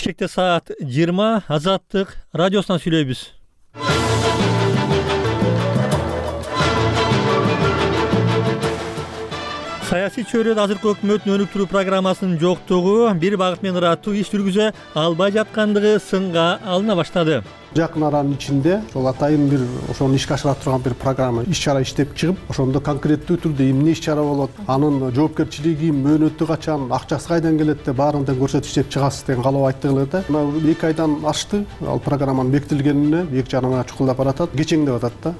Бишкекте саат 20 Азаттык радиосунан сүйлөйбүз. Саясий чөйрөдө азыркы өкмөттүн өнүктүрүү программасынын жоктугу бир багыт менен ыраттуу иш жүргүзө албай жаткандыгы сынга алына баштады. Жакын аранын ичинде ошол атайын бир ошону ишке ашыра турган бир программа иш-чара иштеп чыгып, ошондо конкреттүү түрдө эмне иш-чара болот, анын жоопкерчилиги, мөөнөтү качан, акчасы кайдан келет деп баарын тең көрсөтүп иштеп чыгасыз деген каалоо айттыгылар да. Мына 2 айдан ашты ал программанын бекитилгенине, 2 жарымга чукулдап баратат, кечеңдеп атат да.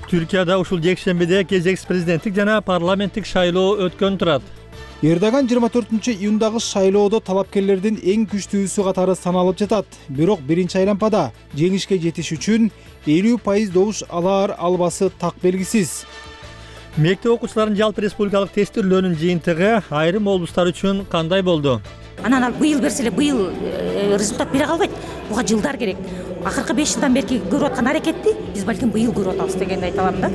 Түркияда ушул жекшембиде кезекс президенттик жана парламенттик шайлоо өткөн турат. Эрдоган 24-июндагы шайлоодо талапкерлердин эң күчтүүсү катары саналып жатат. Бирок биринчи айлампада жеңишке жетиш үчүн 50% добуш алар албасы так белгисиз. Мектеп окуучуларынын жалпы республикалык тестирлөөнүн жыйынтыгы айрым облустар үчүн кандай болду? Анан ал быйыл берсе эле быйыл результат бере калбайт. Буга жылдар керек. Акыркы 5 жылдан бери көрүп аткан аракетти биз балким быйыл көрүп атабыз дегенди айта алам да.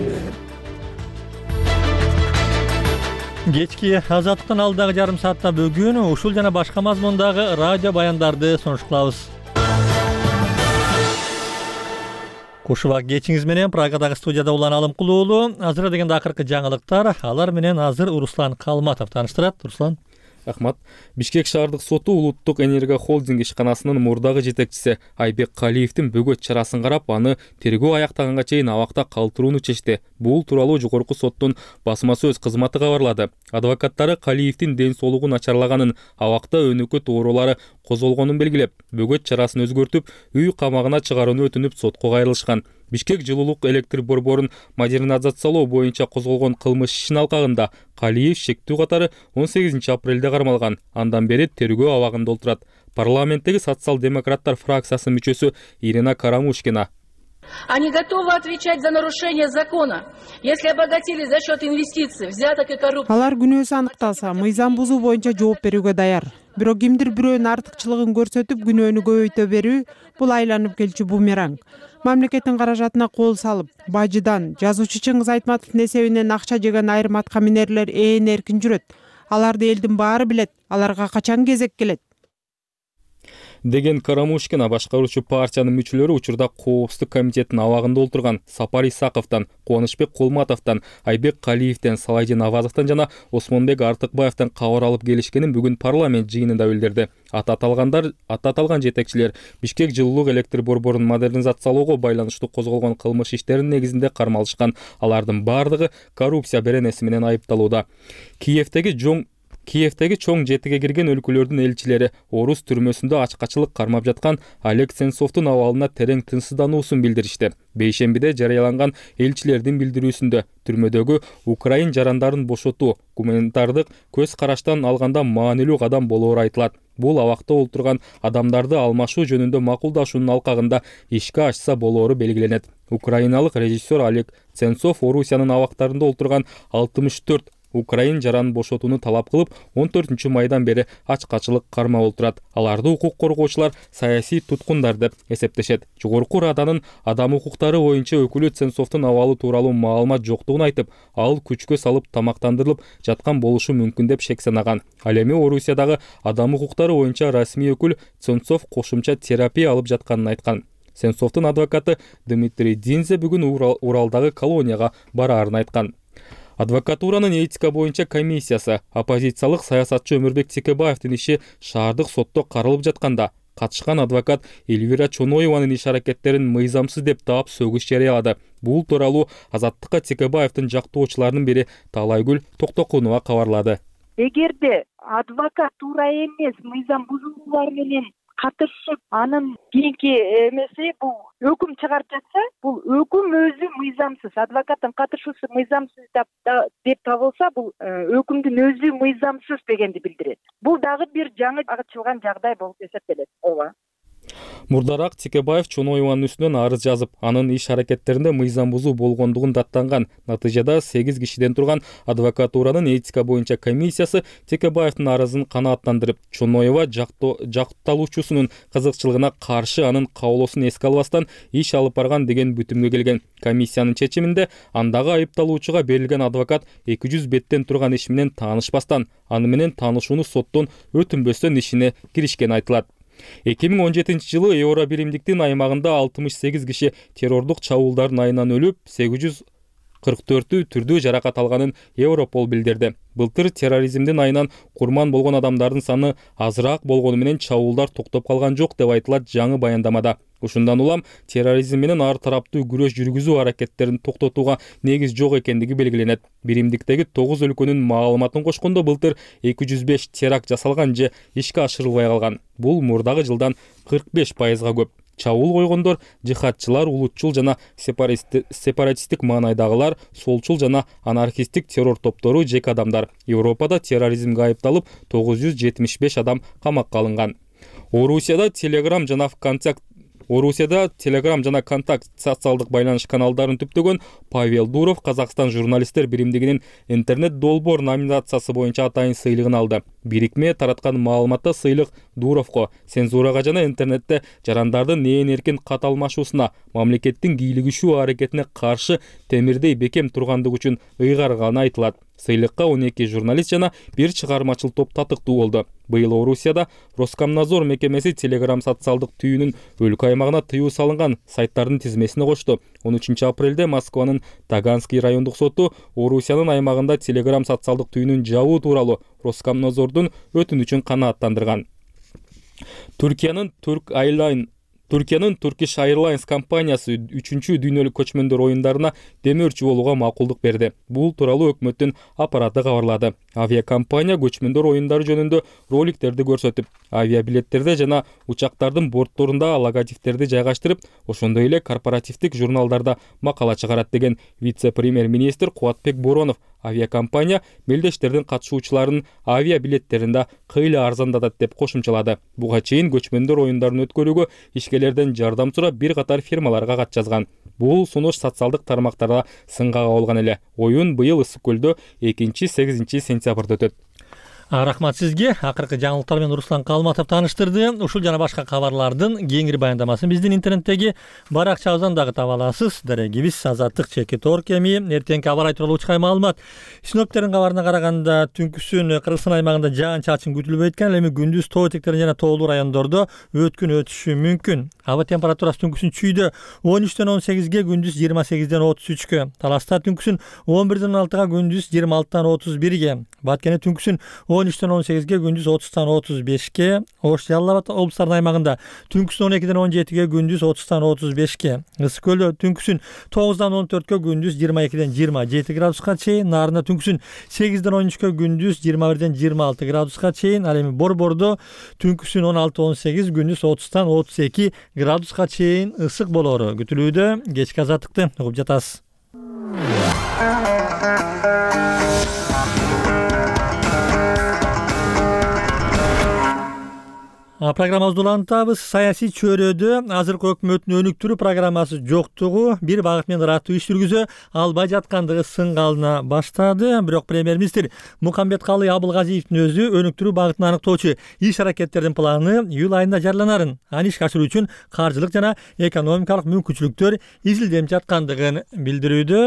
Кечки Азаттыктан алдагы жарым саатта бүгүн ушул жана башка мазмундагы радио баяндарды сонуш кылабыз. Кушуба кечиңиз менен Прагадагы студияда Улан Алымкул уулу. Азыр дегенде акыркы жаңылыктар, алар менен азыр Руслан Калматов тааныштырат. Руслан. Рахмат. Бишкек шаардык соту Улуттук энерго холдинг ишканасынын мурдагы жетекчиси Айбек Калиевдин бөгөт чарасын карап, аны тергөө аяктаганга чейин абакта калтырууну чечти. Бул тууралуу жогорку соттун басма сөз кызматы кабарлады. Адвокаттары Калиевдин ден соолугу начарлаганын, абакта өнөкөт оорулары козголгонун белгилеп, бөгөт чарасын өзгөртүп, үй камагына чыгарууну өтүнүп сотко кайрылышкан. Бишкек жылуулук электр борборун модернизациялоо боюнча козголгон кылмыш ишинин алкагында Калиев шектүү катары 18 апрелде кармалган. Андан бери тергөө абагында отурат. Парламенттеги социал-демократтар фракциясынын мүчөсү Ирина Карамушкина. Они готовы отвечать за нарушение закона, если обогатились за счет инвестиций, взяток и коррупции. Алар күнөөсү аныкталса, мыйзам бузуу боюнча жооп берүүгө даяр. Бирок кимдир бирөөнүн артыкчылыгын көрсөтүп, күнөөнү көбөйтө берүү бул айланып келчү бумеранг. Мамлекеттин каражатына кол салып, бажыдан жазуучу Чыңгыз Айтматовдун эсебинен акча жеген айрым аткаминерлер эркин жүрөт. Аларды элдин баары билет. Аларга качан кезек келет? Деген Карамушкина башкаруучу партиянын мүчөлөрү учурда Коопсуздук комитетинин абагында отурган Сапар Исаковдон, Кубанычбек Кулматовдон, Айбек Калиевден, Салайдин Авазовдон жана Осмонбек Артыкбаевден кабар алып келишкенин бүгүн парламент жыйынында билдирди. Аты аталган жетекчилер Бишкек жылуулук электр борборун модернизациялоого байланыштуу козголгон кылмыш иштеринин негизинде кармалышкан. Алардын бардыгы коррупция беренеси менен айыпталууда. Киевдеги чоң жетиге кирген өлкөлөрдүн элчилери Орус түрмөсүндө ачкачылык кармап жаткан Олег Сенцовдун абалына терең тынчсыздануусун билдиришти. Бейшембиде жарыяланган элчилердин билдирүүсүндө түрмөдөгү украин жарандарын бошотуу гуманитардык көз караштан алганда маанилүү кадам болоору айтылат. Бул абакта отурган адамдарды алмашуу жөнүндө макулдашуунун алкагында ишке ашса болоору белгиленет. Украиналык режиссер Олег Сенцов Орусиянын абактарында отурган 64 украин жаранын бошотууну талап кылып, 14 майдан бери ачкачылык кармап отурат. Аларды укук коргоочулар саясий туткундар деп эсептешет. Жогорку Раданын адам укуктары боюнча өкүлү Сенцовдун абалы тууралуу маалымат жоктугун айтып, ал күчкө салып тамактандырылып жаткан болушу мүмкүн деп шек санаган. Ал эми Орусиядагы адам укуктары боюнча расмий өкүл Сенцов кошумча терапия алып жатканын айткан. Сенцовдун адвокаты Дмитрий Динзе бүгүн Уралдагы колонияга бараарын айткан. Адвокатуранын этика боюнча комиссиясы оппозициялык саясатчы Өмүрбек Текебаевдин иши шаардык сотто каралып жатканда катышкан адвокат Эльвира Чоноеванын иш аракеттерин мыйзамсыз деп таап сөгүш жарыялады. Бул тууралуу Азаттыкка Текебаевдин жактоочуларынын бири Таалайгүл Токтокунова кабарлады. Эгерде адвокат туура эмес мыйзам бузуулар менен катышып, анын кийинки эмеси бул өкүм чыгарып жатса, бул өкүм өзү мыйзамсыз, адвокаттын катышуусу мыйзамсыз деп табылса, бул өкүмдүн өзү мыйзамсыз дегенди билдирет. Бул дагы бир жаңы ачылган жагдай болуп эсептелет. Ооба. Мурдараак Текебаев Чоноеванын үстүнөн арыз жазып, анын иш аракеттеринде мыйзам бузуу болгондугун даттанган. Натыйжада 8 кишиден турган адвокатуранын этика боюнча комиссиясы Текебаевдин арызын канааттандырып, Чоноева жакталуучусунун кызыкчылыгына каршы анын каалоосун эске албастан иш алып барган деген бүтүмгө келген. Комиссиянын чечиминде андагы айыпталуучуга берилген адвокат 200 беттен турган иш менен таанышпастан, аны менен таанышууну соттон өтүнбөстөн ишине киришкени айтылат. 2017-жылы Евро биримдиктин аймагында 68 киши террордук чабуулдардын айынан өлүп, 844 түрдүү жаракат алганын Европол билдирди. Былтыр терроризмдин айынан курман болгон адамдардын саны азыраак болгону менен чабуулдар токтоп калган жок деп айтылат жаңы баяндамада. Ушундан улам терроризм менен ар тараптуу күрөш жүргүзүү аракеттерин токтотууга негиз жок экендиги белгиленет. Биримдиктеги 9 өлкөнүн маалыматын кошкондо былтыр 205 теракт жасалган же ишке ашырылбай калган. Бул мурдагы жылдан 45%га көп. Чабуул койгондор жихадчылар, улутчул жана сепаратисттик маанайдагылар, солчул жана анархисттик террор топтору, жеке адамдар. Европада терроризмге айыпталып 975 адам камакка алынган. Орусияда Telegram жана Контакт социалдык байланыш каналдарын түптөгөн Павел Дуров Казакстан журналисттер биримдигинин интернет долбоор номинациясы боюнча атайын сыйлыгын алды. Бирикме тараткан маалыматта сыйлык Дуровго цензурага жана интернетте жарандардын ээн эркин кат алмашуусуна, мамлекеттин кийлигишүү аракетине каршы темирдей бекем тургандыгы үчүн ыйгарганы айтылат. Сыйлыкка 12 журналист жана бир чыгармачыл топ татыктуу болду. Быйыл Орусияда Роскомнадзор мекемеси Telegram социалдык түйүнүн өлкө аймагына тыюу салынган сайттардын тизмесине кошту. 13 апрелде Москванын Таганский райондук соту Орусиянын аймагында Telegram социалдык түйүнүн жабуу тууралуу Роскомнадзордун өтүнүчүн канааттандырган. Түркиянын Turkish Airlines компаниясы 3-чү дүйнөлүк көчмөндөр оюндарына демөөрчү болууга макулдук берди. Бул тууралуу өкмөттүн аппараты кабарлады. Авиакомпания көчмөндөр оюндары жөнүндө роликтерди көрсөтүп, авиабилеттерде жана учактардын бортторунда логотиптерди жайгаштырып, ошондой эле корпоративдик журналдарда макала чыгарат деген вице-премьер-министр Кубатбек Боронов авиакомпания мелдештердин катышуучуларынын авиабилеттеринде кыйла арзандатат деп кошумчалады. Буга чейин көчмөндөр оюндарын өткөрүүгө ишкерлерден жардам сурап бир катар фирмаларга кат жазган. Бул сунуш социалдык тармактарда сынга кабылган эле. Оюн быйыл Ысык көлдө 2-8 сентябрда өтөт. Рахмат сизге. Акыркы жаңылыктар менен Руслан Калматов тааныштырды. Ушул жана башка кабарлардын кеңири баяндамасын биздин интернеттеги баракчабыздан дагы таба аласыз. Дарегибиз Азаттык /Торк эми эртеңки аба ырайы тууралуу учкай маалымат. Синоптиктердин кабарына караганда түнкүсүн Кыргызстан аймагында жаан-чачын күтүлбөйт экен, эми күндүз тоо этектерин жана тоолуу райондордо өткүн өтүшү мүмкүн. Аба температурасы түнкүсүн чүйдө 13-тен 18ге, күндүз 28-ден 33-кө. Таласта түнкүсүн 11-ден 16-га, күндүз 26-тан 31-ге. Баткене түнкүсүн 13-тен 18-ге, күндүз 30-тан 35-ке. Ош, Жалал Абад облустарынын аймагында түнкүсүн 12-ден 17-ге, күндүз 30-тан 35-ке. Ысык көлдө түнкүсүн 9-дан 14-кө, күндүз 22-ден 27 градуска чейин. Нарында түнкүсүн 8-ден 13-кө, күндүз 21-ден 26 градуска чейин. Ал эми Борбордо түнкүсүн 16-18, күндүз 30-тан 32 градуска чейин ысык болору күтүлүүдө. Кечки азаттыкты угуп жатасыз. Программабызды улантабыз. Саясий чөйрөдө азыркы өкмөттүн өнүктүрүү программасы жоктугу, бир багыт менен ыраттуу иш жүргүзө албай жаткандыгы сынга алына баштады. Бирок премьер-министр Мукамбеткалы Абылгазиевдин өзү өнүктүрүү багытын аныктоочу иш аракеттердин планы июль айында жарыяланарын, аны ишке ашыруу үчүн каржылык жана экономикалык мүмкүнчүлүктөр изилденип жаткандыгын билдирүүдө.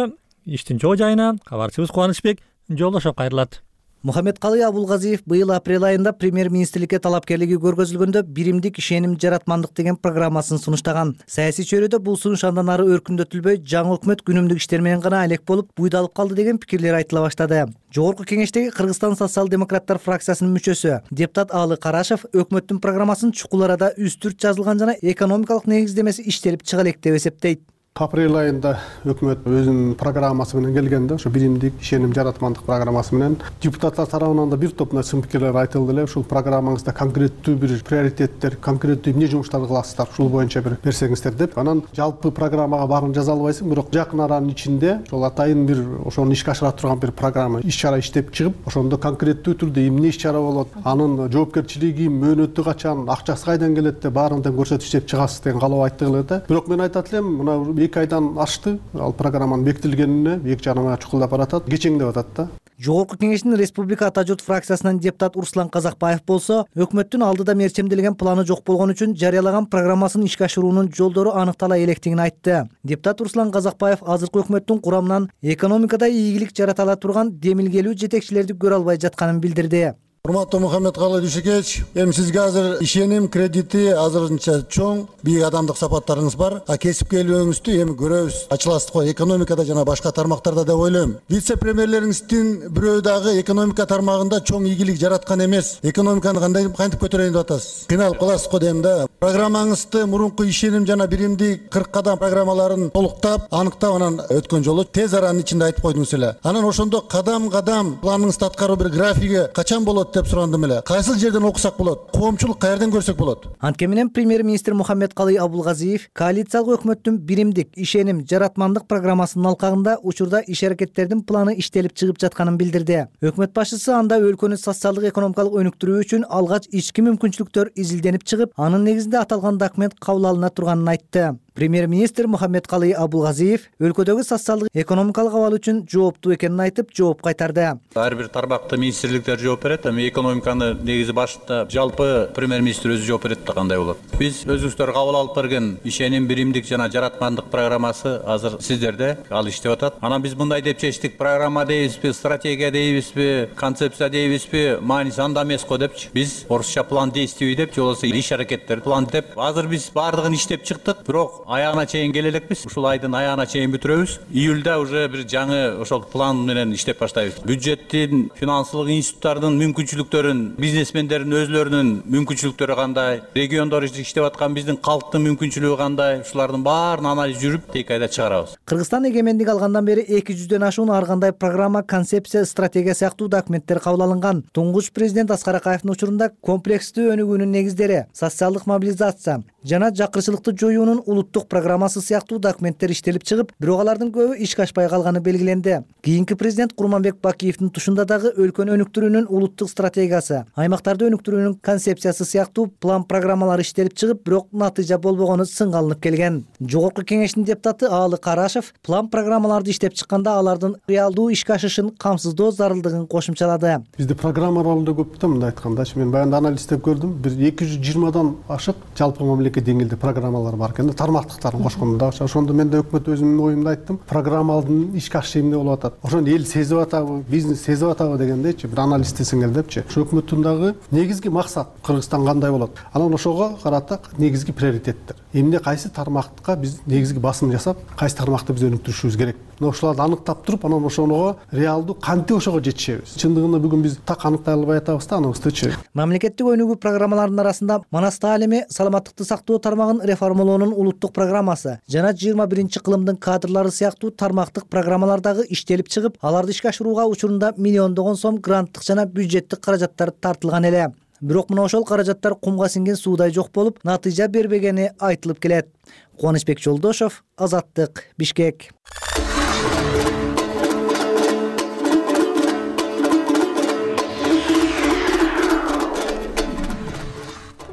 Иштин чоо жайына кабарчыбыз Кубанычбек жолдошуп кайрылат. Мухамбеткалы Абылгазиев быйыл апрель айында премьер-министрликке талапкерлиги көргөзүлгөндө биримдик ишеним жаратмандык деген программасын сунуштаган. Саясий чөйрөдө бул сунуш андан ары өркүндөтүлбөй, жаңы өкмөт күнүмдүк иштер менен гана алек болуп, буйдалып калды деген пикирлер айтыла баштады. Жогорку кеңештеги Кыргызстан социал-демократтар фракциясынын мүчөсү депутат Алы Карашев өкмөттүн программасын чукул арада үстүрт жазылган жана экономикалык негиздемеси иштелип чыга элек деп эсептейт. Апрель айында өкмөт өзүнүн программасы менен келгенде, ошо биримдик ишеним жаратмандык программасы менен депутаттар тарабынан да бир топ сын пикирлер айтылды эле. Ушул программаңызда конкреттүү бир приоритеттер, конкреттүү эмне жумуштарды кыласыздар, ушул боюнча бир берсеңиздер деп. Анан жалпы программага баарын жаза албайсың, бирок жакын аранын ичинде ошол атайын бир ошону ишке ашыра турган бир программа, иш-чара иштеп чыгып, ошондо конкреттүү түрдө эмне иш-чара болот, анын жоопкерчилиги, мөөнөтү качан, акчасы кайдан келет деп баарын тең көрсөтүп иштеп чыгасыз деген каалоо айттык эле да. Бирок мен айтат элем, мына 2 айдан ашты, ал программанын бекитилгенине 2 жарым ай чукулдап баратат, кечеңдеп атат да. Жогорку кеңештин Республика Ата журт фракциясынан депутат Руслан Казакбаев болсо, өкмөттүн алдыда мерчемделген планы жок болгон үчүн жарыялаган программасын ишке ашыруунун жолдору аныктала электигин айтты. Депутат Руслан Казакбаев азыркы өкмөттүн курамынан экономикада ийгилик жарата ала турган демилгелүү жетекчилерди көрө албай жатканын билдирди. Урматтуу Мухаммедкалый Дүйшекевич, эми сизге азыр ишеним кредити азырынча чоң, бийик адамдык сапаттарыңыз бар. Кесипкерлигиңизди эми көрөбүз. Ачыласыз го экономикада жана башка тармактарда деп ойлойм. Вице-премьерлериңиздин бирөө дагы экономика тармагында чоң ийгилик жараткан эмес. Экономиканы кантип көтөрөйүн деп атасыз? Кыйналып каласыз го дейм да. Программаңызды мурунку ишеним жана биримдик 40 кадам программаларын толуктап, аныктап анан өткөн жолу тез аранын ичинде айтып койдуңуз эле. Анан ошондо кадам-кадам планыңызды аткаруу бир графиги качан болот деп сурандым эле. Кайсыл жерден окусак болот? Коомчулук каерден көрсөк болот? Антке менен премьер-министр Мухаммедкалый Абулгазиев коалициялык өкмөттүн биримдик ишеним жаратмандык программасынын алкагында учурда иш-аракеттердин планы иштелип чыгып жатканын билдирди. Өкмөт башчысы анда өлкөнү социалдык экономикалык өнүктүрүү үчүн алгач ички мүмкүнчүлүктөр изилденип чыгып, анын негизинде аталган документ кабыл алына турганын айтты. Премьер-министр Мухаммедкалый Абулгазиев өлкөдөгү социалдык экономикалык абал үчүн жооптуу экенин айтып, жооп кайтарды. Ар бир тармакта министрликтер жооп берет, эми экономиканы негизи башында жалпы премьер-министр өзү жооп берет да кандай болот. Биз өзүңүздөр кабыл алып берген ишеним биримдик жана жаратмандык программасы азыр сиздерде ал иштеп атат. Анан биз мындай деп чечтик: программа дейбизби, стратегия дейбизби, концепция дейбизби, мааниси анда эмес го депчи. Биз орусча план действий деп, же болбосо иш-аракеттер план деп. Азыр биз баардыгын иштеп чыктык, бирок аягына чейин келе элекпиз. Ушул айдын аягына чейин бүтүрөбүз. Июлда уже бир жаңы ошол план менен иштеп баштайбыз. Бюджеттин, финансылык институттардын мүмкүнчүлүктөрүн, бизнесмендердин өзлөрүнүн мүмкүнчүлүктөрү кандай, региондор иштеп аткан биздин калктын мүмкүнчүлүгү кандай, ушулардын баарын анализ жүрүп, тек айда чыгарабыз. Кыргызстан эгемендик алгандан бери 200дөн ашуун ар кандай программа, концепция, стратегия сыяктуу документтер кабыл алынган. Туңгуч президент Аскар Акаевдин учурунда комплекстүү өнүгүүнүн негиздери, социалдык мобилизация жана жакырчылыкты жоюунун улуттук программасы сыяктуу документтер иштелип чыгып, бирок алардын көбү ишке ашпай калганы белгиленди. Кийинки президент Курманбек Бакиевдин тушунда дагы өлкөнү өнүктүрүүнүн улуттук стратегиясы, аймактарды өнүктүрүүнүн концепциясы сыяктуу план программалар иштелип чыгып, бирок натыйжа болбогону сынга алынып келген. Жогорку кеңештин депутаты Аалы Карашев план программаларды иштеп чыкканда алардын реалдуу ишке ашышын камсыздоо зарылдыгын кошумчалады. Бизде программаларда көп да, мындай айткандачы, мен баягы анализдеп көрдүм. Бир 220дан ашык жалпы мамлекет деңгээлде программалар бар экен да, тармактыктарын кошкондо. Ошондо мен да өкмөт өзүмдүн оюмду айттым. Программалардын ишке ашышы эмне болуп атат? Ошону эл сезип атабы, бизнес сезип атабы дегендейчи, бир анализ десеңер депчи. Ошо өкмөттүн дагы негизги максат Кыргызстан кандай болот? Анан ошого карата негизги приоритеттер. Эмне кайсы тармакка биз негизги басым жасап, кайсы тармакты биз өнүктүрүшүбүз керек? Ошолорду аныктап туруп, анан ошого реалдуу кантип ошого жетишебиз? Чындыгында бүгүн биз так аныктай албай атабыз да аныбыздычы. Мамлекеттик өнүгүү программаларынын арасында манас таалими, саламаттыкты сактоо тармагын реформалоонун улуттук программасы жана 21-кылымдын кадрлары сыяктуу тармактык программалар дагы иштелип чыгып, аларды ишке ашырууга учурунда миллиондогон сом гранттык жана бюджеттик каражаттар тартылган эле. Бирок мына ошол каражаттар кумга сиңген суудай жок болуп, натыйжа бербегени айтылып келет. Кубанычбек Жолдошов, Азаттык, Бишкек.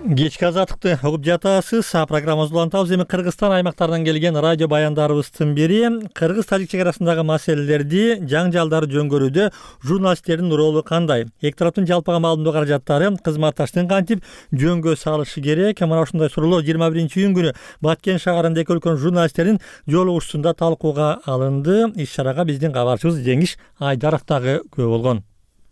Кечки азаттыкты угуп жатасыз. Программабызды улантабыз. Эми Кыргызстан аймактарынан келген радио баяндарыбыздын бири кыргыз-тажик чек арасындагы маселелерди, жаңжалдарды жөнгөрүүдө журналисттердин ролу кандай? Эки тараптын жалпыга маалымдоо каражаттары кызматташтыгын кантип жөнгө салышы керек? Мына ушундай суроолор 21-июнь күнү Баткен шаарында эки өлкөнүн журналисттердин жолугушуусунда талкууга алынды. Иш-чарага биздин кабарчыбыз Жеңиш Айдаров дагы күбө болгон.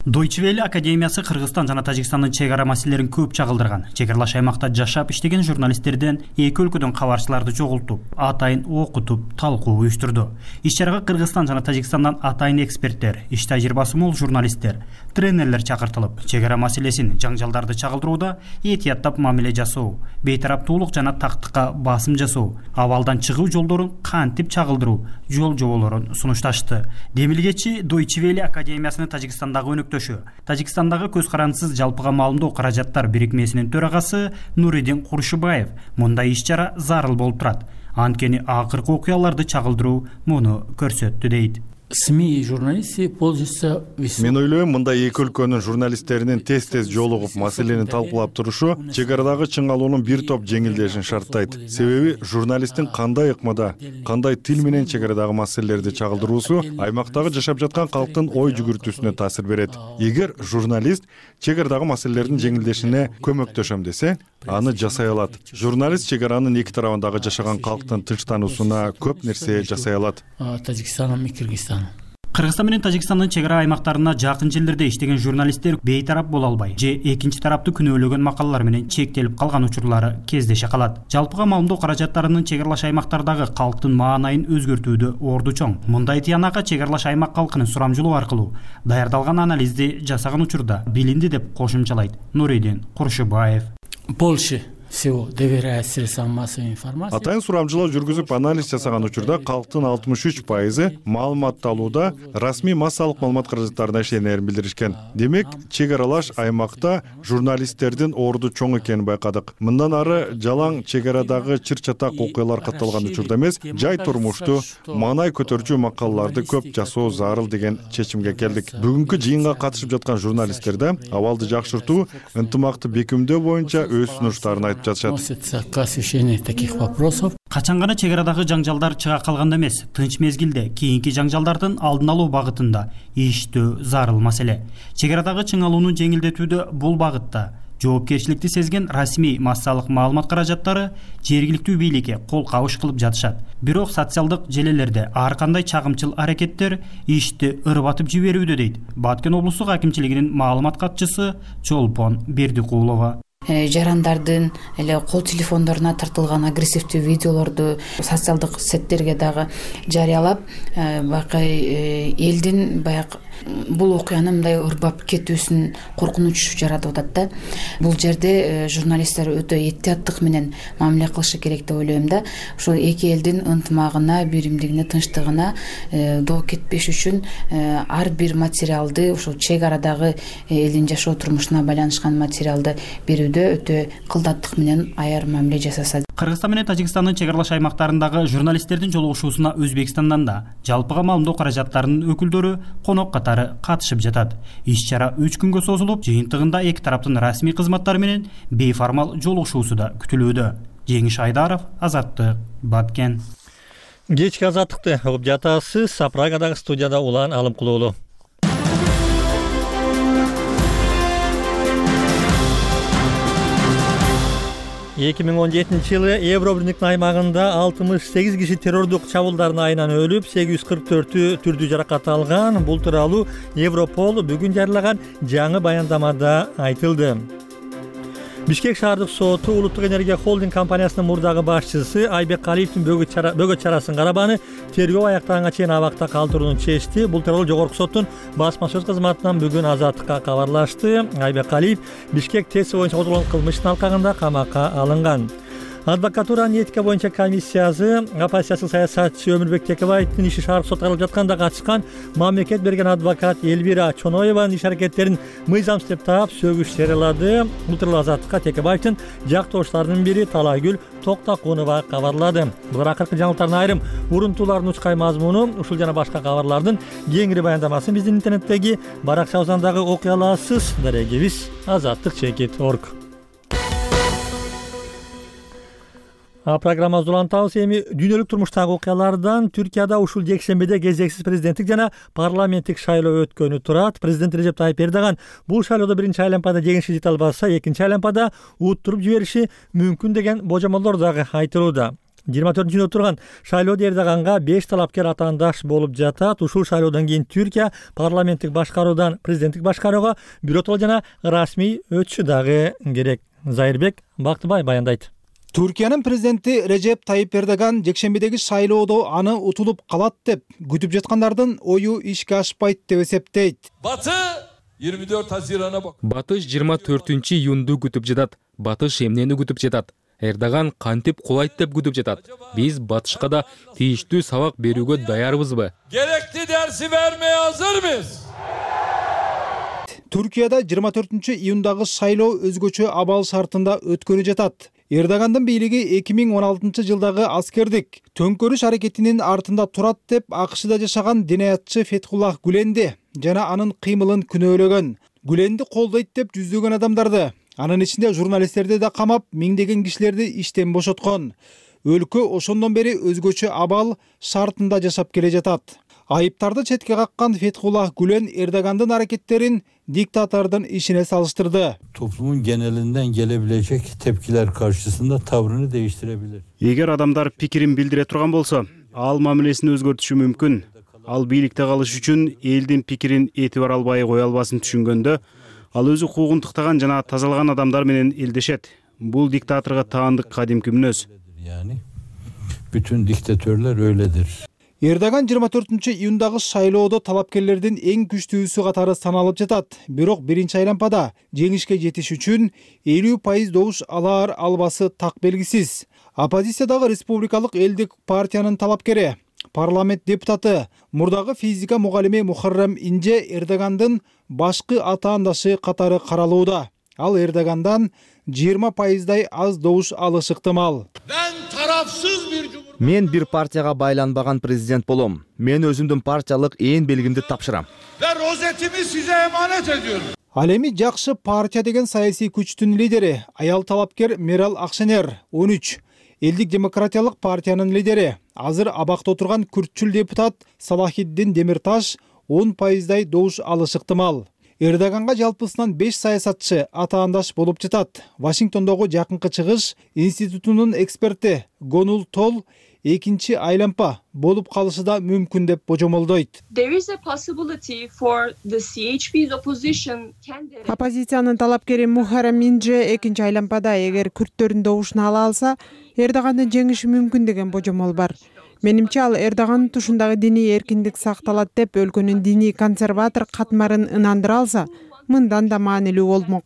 Deutsche Welle академиясы Кыргызстан жана Тажикстандын чек ара маселелерин көп чагылдырган. Чек аралаш аймакта жашап иштеген журналисттерден эки өлкөдөн кабарчыларды чогултуп, атайын окутуп, талкуу уюштурду. Иш-чарага Кыргызстан жана Тажикстандан атайын эксперттер, иш тажрыйбасы мол журналисттер, тренерлер чакыртылып, чек ара маселесин, жаңжалдарды чагылдырууда этияттап мамиле жасоо, бейтараптуулук жана тактыкка басым жасоо, абалдан чыгуу жолдорун кантип чагылдыруу жол жоболорун сунушташты. Демилгечи Deutsche Welle академиясынын Тажикстандагы өнөктөшү, Тажикстандагы көз карандысыз жалпыга маалымдоо каражаттар бирикмесинин төрагасы Нуридин Куршубаев мындай иш-чара зарыл болуп турат. Анткени акыркы окуяларды чагылдыруу муну көрсөттү дейт. СМИ и журналисты пользуются весьма. Мен ойлойм, мындай эки өлкөнүн журналисттеринин тез-тез жолугуп маселени талкуулап турушу чек арадагы чыңалуунун бир топ жеңилдешин шарттайт. Себеби журналисттин кандай ыкмада, кандай тил менен чек арадагы маселелерди чагылдыруусу аймактагы жашап жаткан калктын ой жүгүртүүсүнө таасир берет. Эгер журналист чек арадагы маселелердин жеңилдешине көмөктөшөм десе, аны жасай алат. Журналист чек аранын эки тарабындагы жашаган калктын тынчтануусуна көп нерсе жасай алат. Тажикстаном и Кыргызстаном. Кыргызстан менен Тажикстандын чек ара аймактарына жакын жерлерде иштеген журналисттер бейтарап боло албай же экинчи тарапты күнөөлөгөн макалалар менен чектелип калган учурлары кездеше калат. Жалпыга маалымдоо каражаттарынын чек аралаш аймактардагы калктын маанайын өзгөртүүдө орду чоң. Мындай тыянакка чек аралаш аймак калкынын сурамжылоо аркылуу даярдалган анализди жасаган учурда билинди деп кошумчалайт Нуридин Куршубаев. Больше всего доверяет средствам массовой информации. Атайын сурамжылоо жүргүзүп анализ жасаган учурда калктын 63% маалыматты алууда расмий массалык маалымат каражаттарына ишенерин билдиришкен. Демек, чек аралаш аймакта журналисттердин орду чоң экенин байкадык. Мындан ары жалаң чек арадагы чыр-чатак окуялар катталган учурда эмес, жай турмушту, маанай көтөрчү макалаларды көп жасоо зарыл деген чечимге келдик. Бүгүнкү жыйынга катышып жаткан журналисттерде абалды жакшыртуу, ынтымакты бекемдөө боюнча өз сунуштарын относится к освещению таких вопросов. Качан гана чек арадагы жаңжалдар чыга калганда эмес, тынч мезгилде кийинки жаңжалдардын алдын алуу багытында иштөө зарыл маселе. Чек арадагы чыңалууну жеңилдетүүдө бул багытта жоопкерчиликти сезген расмий массалык маалымат каражаттары жергиликтүү бийликке кол кабыш кылып жатышат. Бирок социалдык желелерде ар кандай чагымчыл аракеттер ишти ырбатып жиберүүдө дейт Баткен облустук акимчилигинин маалымат катчысы Чолпон Бердикулова. Жарандардын эле кол телефондоруна тартылган агрессивдүү видеолорду социалдык сеттерге дагы жарыялап, баягы элдин баягы бул окуянын мындай ырбап кетүүсүн коркунуч жаратып атат да. Бул жерде журналисттер өтө этияттык менен мамиле кылышы керек деп ойлойм да. Ошол эки элдин ынтымагына, биримдигине, тынчтыгына доо кетпеш үчүн ар бир материалды ошол чек арадагы элдин жашоо турмушуна байланышкан материалды берүүдө өтө кылдаттык менен аяр мамиле жасаса. Кыргызстан менен Тажикстандын чек аралаш аймактарындагы журналисттердин жолугушуусуна Өзбекстандан да жалпыга маалымдоо каражаттарынын өкүлдөрү конок катары катышып жатат. Иш-чара 3 күнгө созулуп, жыйынтыгында эки тараптын расмий кызматтары менен бейформал жолугушуусу да күтүлүүдө. Жеңиш Айдаров, Азаттык, Баткен. Кечки Азаттыкты угуп жатасыз. Прагадагы студияда Улан Алымкулуулу. 2017 жылы Евробирликтин аймагында 68 киши террордук чабуулдардын айынан өлүп, 844-ü түрдүү жаракат алган. Бул тууралуу Европол бүгүн жарыялаган жаңы баяндамада айтылды. Бишкек шаардык соту Улуттук энергия холдинг компаниясынын мурдагы башчысы Айбек Калиевдин бөгөт чарасын карабаны тергөө аяктаганга чейин абакта калтырууну чечти. Бул тууралуу жогорку соттун басма сөз кызматынан бүгүн Азаттыкка кабарлашты. Айбек Калиев Бишкек ТЭС боюнча козголгон кылмыштын алкагында камакка алынган. Адвокатуранын этика боюнча комиссиясы оппозициялык саясатчы Өмүрбек Текебаевдин иши шаардык сотко каралып жатканда катышкан мамлекет берген адвокат Элвира Чоноеванын иш аракеттерин мыйзамсыз деп таап сөгүш жарыялады. Бул тууралуу Азаттыкка Текебаевдин жактоошторунун бири Талайгүл Токтакунова кабарлады. Булар акыркы жаңылыктардын айрым урунтуулардын учкай мазмуну, ушул жана башка кабарлардын кеңири баяндамасын биздин интернеттеги баракчабыздан дагы окуй аласыз. Дарегибиз azattik.org. Программабызды улантабыз. Эми дүйнөлүк турмуштагы окуялардан Түркияда ушул жекшембиде кезексиз президенттик жана парламенттик шайлоо өткөнү турат. Президент Режеп Тайып Эрдоган бул шайлоодо биринчи айлампада жеңишке жете албаса, экинчи айлампада уттуруп жибериши мүмкүн деген божомолдор дагы айтылууда. 24-жүндө турган шайлоодо Эрдоганга 5 талапкер атаандаш болуп жатат. Ушул шайлоодон кийин Түркия парламенттик башкаруудан президенттик башкарууга биротоло жана расмий өтүшү дагы керек. Зайырбек Бактыбай баяндайт. Түркиянын президенти Режеп Тайып Эрдоган жекшембидеги шайлоодо аны утулуп калат деп күтүп жаткандардын ою ишке ашпайт деп эсептейт. Батыш 24-июнду күтүп жатат. Батыш эмнени күтүп жатат? Эрдоган кантип кулайт деп күтүп жатат. Биз Батышка да тийиштүү сабак берүүгө даярбызбы? Gerekli dersi vermeye hazır mıyız? Түркияда 24-июндагы шайлоо өзгөчө абал шартында өткөнү жатат. Эрдогандын бийлиги 2016-жылдагы аскердик төңкөрүш аракетинин артында турат деп АКШда жашаган динаятчы Фетхуллах Гүленди жана анын кыймылын күнөөлөгөн. Гүленди колдойт деп жүздөгөн адамдарды, анын ичинде журналисттерди да камап, миңдеген кишилерди иштен бошоткон. Өлкө ошондон бери өзгөчө абал шартында жашап келе жатат. Айыптарды четке каккан Фетхуллах Гүлен Эрдогандын аракеттерин diktatörden işine salıştırdı. Toplumun genelinden gelebilecek tepkiler karşısında tavrını değiştirebilir. Егер адамдар пикирин билдире турган болсо, ал мамилесин өзгөртүшү мүмкүн. ал бийликте калыш үчүн элдин пикирин этибар албай кое албасын түшүнгөндө ал өзү укугун тыктаган жана тазалаган адамдар менен элдешет. Бул диктаторго таандык кадимки мүнөз. Bütün diktatörler öyledir. Эрдоган 24-июндагы шайлоодо талапкерлердин эң күчтүүсү катары саналып жатат. Бирок биринчи айлампада жеңишке жетиш үчүн 50% добуш алар албасы так белгисиз. Оппозициядагы республикалык элдик партиянын талапкери, парламент депутаты, мурдагы физика мугалими Мухаррам Инже Эрдогандын башкы атаандашы катары каралууда. Ал Эрдогандан 20%дай аз добуш алышы ыктымал. Мен бир партияга байланбаган президент болом. Мен өзүмдүн партиялык ээн белгимди тапшырам. Ал эми жакшы партия деген саясий күчтүн лидери аял талапкер Мерал Акшенер 13, элдик демократиялык партиянын лидери азыр абакта отурган күртчүл депутат Салахиддин Демирташ 10%дай добуш алышы ыктымал. Эрдоганга жалпысынан 5 саясатчы атаандаш болуп жатат. Вашингтондогу Жакынкы Чыгыш институтунун эксперти Гонул Тол экинчи айлампа болуп калышы да мүмкүн деп божомолдойт. Оппозициянын талапкери Мухаррам Инже экинчи айлампада эгер күрттөрдүн добушун ала алса, Эрдогандын жеңиши мүмкүн деген божомол бар. Менимче ал Эрдогандын тушундагы диний эркиндик сакталат деп өлкөнүн диний консерватор катмарын ынандыра алса, мындан да маанилүү болмок.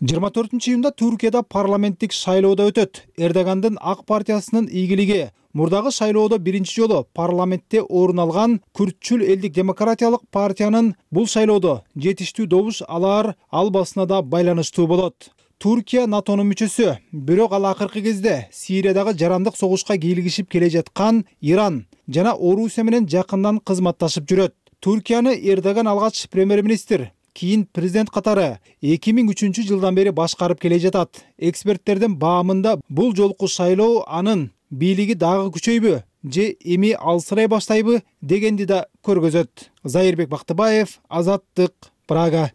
24-июнда Түркияда парламенттик шайлоодо өтөт. Эрдогандын Ак партиясынын ийгилиги мурдагы шайлоодо биринчи жолу парламентте орун алган күртчүл элдик демократиялык партиянын бул шайлоодо жетиштүү добуш алар албасына да байланыштуу болот. Түркия НАТОнун мүчөсү, бирок ал акыркы кезде Сириядагы жарандык согушка кийлигишип келе жаткан Иран жана Орусия менен жакындан кызматташып жүрөт. Түркияны Эрдоган алгач премьер-министр, кийин президент катары 2003 жылдан бери башкарып келе жатат. Эксперттердин баамында бул жолку шайлоо анын бийлиги дагы күчөйбү же эми алсырай баштайбы дегенди да көргөзөт. Зайырбек Бактыбаев, Азаттык, Прага.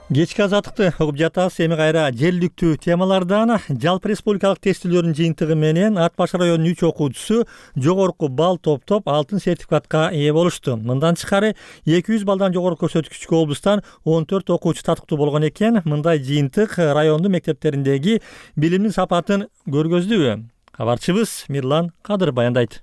Кечки азаттыкты угуп жатасыз. Эми кайра желдиктүү темалардан жалпы республикалык тестилөөрдүн жыйынтыгы менен Ат баш районунун 3 окуучусу жогорку балл топтоп алтын сертификатка ээ болушту. Мындан тышкары 200 баллдан жогору көрсөткүчкө облустан 14 окуучу татыктуу болгон экен. Мындай жыйынтык райондун мектептериндеги билимдин сапатын көргөздүбү? Кабарчыбыз Мирлан Кадыр баяндайт.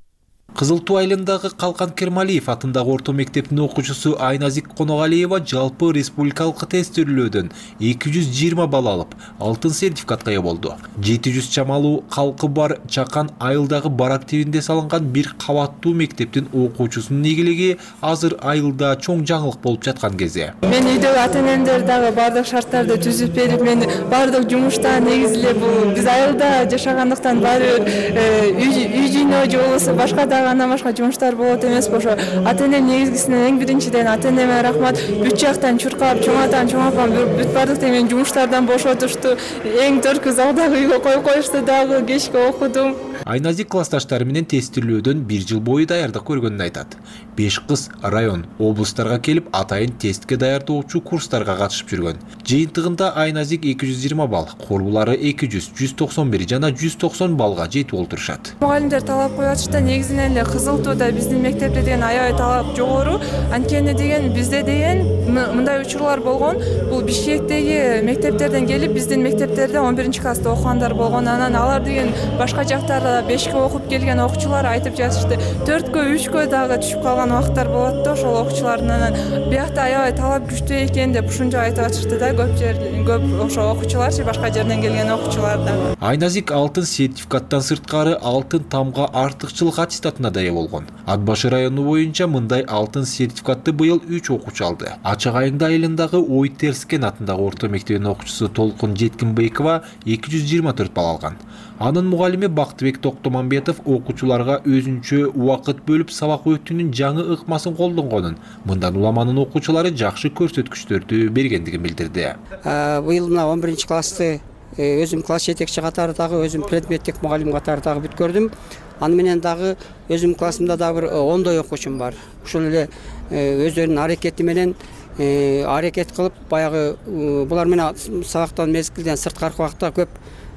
Кызыл Туу айылындагы Калкан Кермалиев атындагы орто мектептин окуучусу Айназик Коногалиева жалпы республикалык тестилөөдөн 220 балл алып, алтын сертификатка ээ болду. 700 чамалуу калкы бар Чакан айылдагы барак тибинде салынган бир кабаттуу мектептин окуучусунун ийгилиги азыр айылда чоң жаңылык болуп жаткан кезде. Мен үйдөгү ата-энемдер дагы бардык шарттарды түзүп берип, мен бардык жумуштан негизи эле бул биз айылда жашагандыктан баары үй жыйноо же болбосо башка андан башка жумуштар болот эмеспи. Ошо ата-энем негизгисинен эң биринчиден ата-энеме рахмат. Бүт жактан чуркап, чоң атам, чоң апам бүт бардык мен жумуштардан бошотушту. Эң төркү залдагы үйгө коюп коюшту дагы, кечке окудум. Айназик классташтары менен тестилөөдөн 1 жыл бою даярдык көргөнүн айтат. 5 кыз район, облустарга келип атайын тестке даярдоочу курстарга катышып жүргөн. Жыйынтыгында Айназик 220 балл, корбулары 200, 191 жана 190 баллга жетип олтурушат. Мугалимдер талап коюп атышта негизинен эле Кызыл Тууда биздин мектепте деген аябай талап жогору. Анткени деген бизде деген мындай учурлар болгон. Бул Бишкектеги мектептерден келип биздин мектептерде 11-класста окугандар болгон. Анан алар деген башка жактарда 5-кө окуп келген окуучулар айтып жатышты. 4-кө, 3-кө дагы түшүп калган убактар болот да, ошол окуучулардын анан биякта аябай талап күчтүү экен деп ушунча айтып атышты да, көп ошо окуучуларчы башка жерден келген окуучулар дагы. Айназик алтын сертификаттан сырткары алтын тамга артыкчылык аттестатына да ээ болгон. Ат башы району боюнча мындай алтын сертификатты быйыл 3 окуучу алды. Ачак айылында айылындагы Ойтерскен атындагы орто мектебинин окуучусу Толкун Жеткинбекова 224 балл алган. Анын мугалими Бактыбек Токтомамбетов окуучуларга өзүнчө убакыт бөлүп сабак өтүүнүн жаңы ыкмасын колдонгонун, мындан уламанын окуучулары жакшы көрсөткүчтөрдү бергендигин билдирди. Быйыл мына 11-классты өзүм класс жетекчи катары дагы, өзүм предметтик мугалим катары дагы бүткөрдүм. Аны менен дагы өзүм классымда дагы бир 10дой окуучум бар. Ушул эле өздөрүнүн аракети менен аракет кылып, баягы булар менен сабактан мезгилден сырткары убакта көп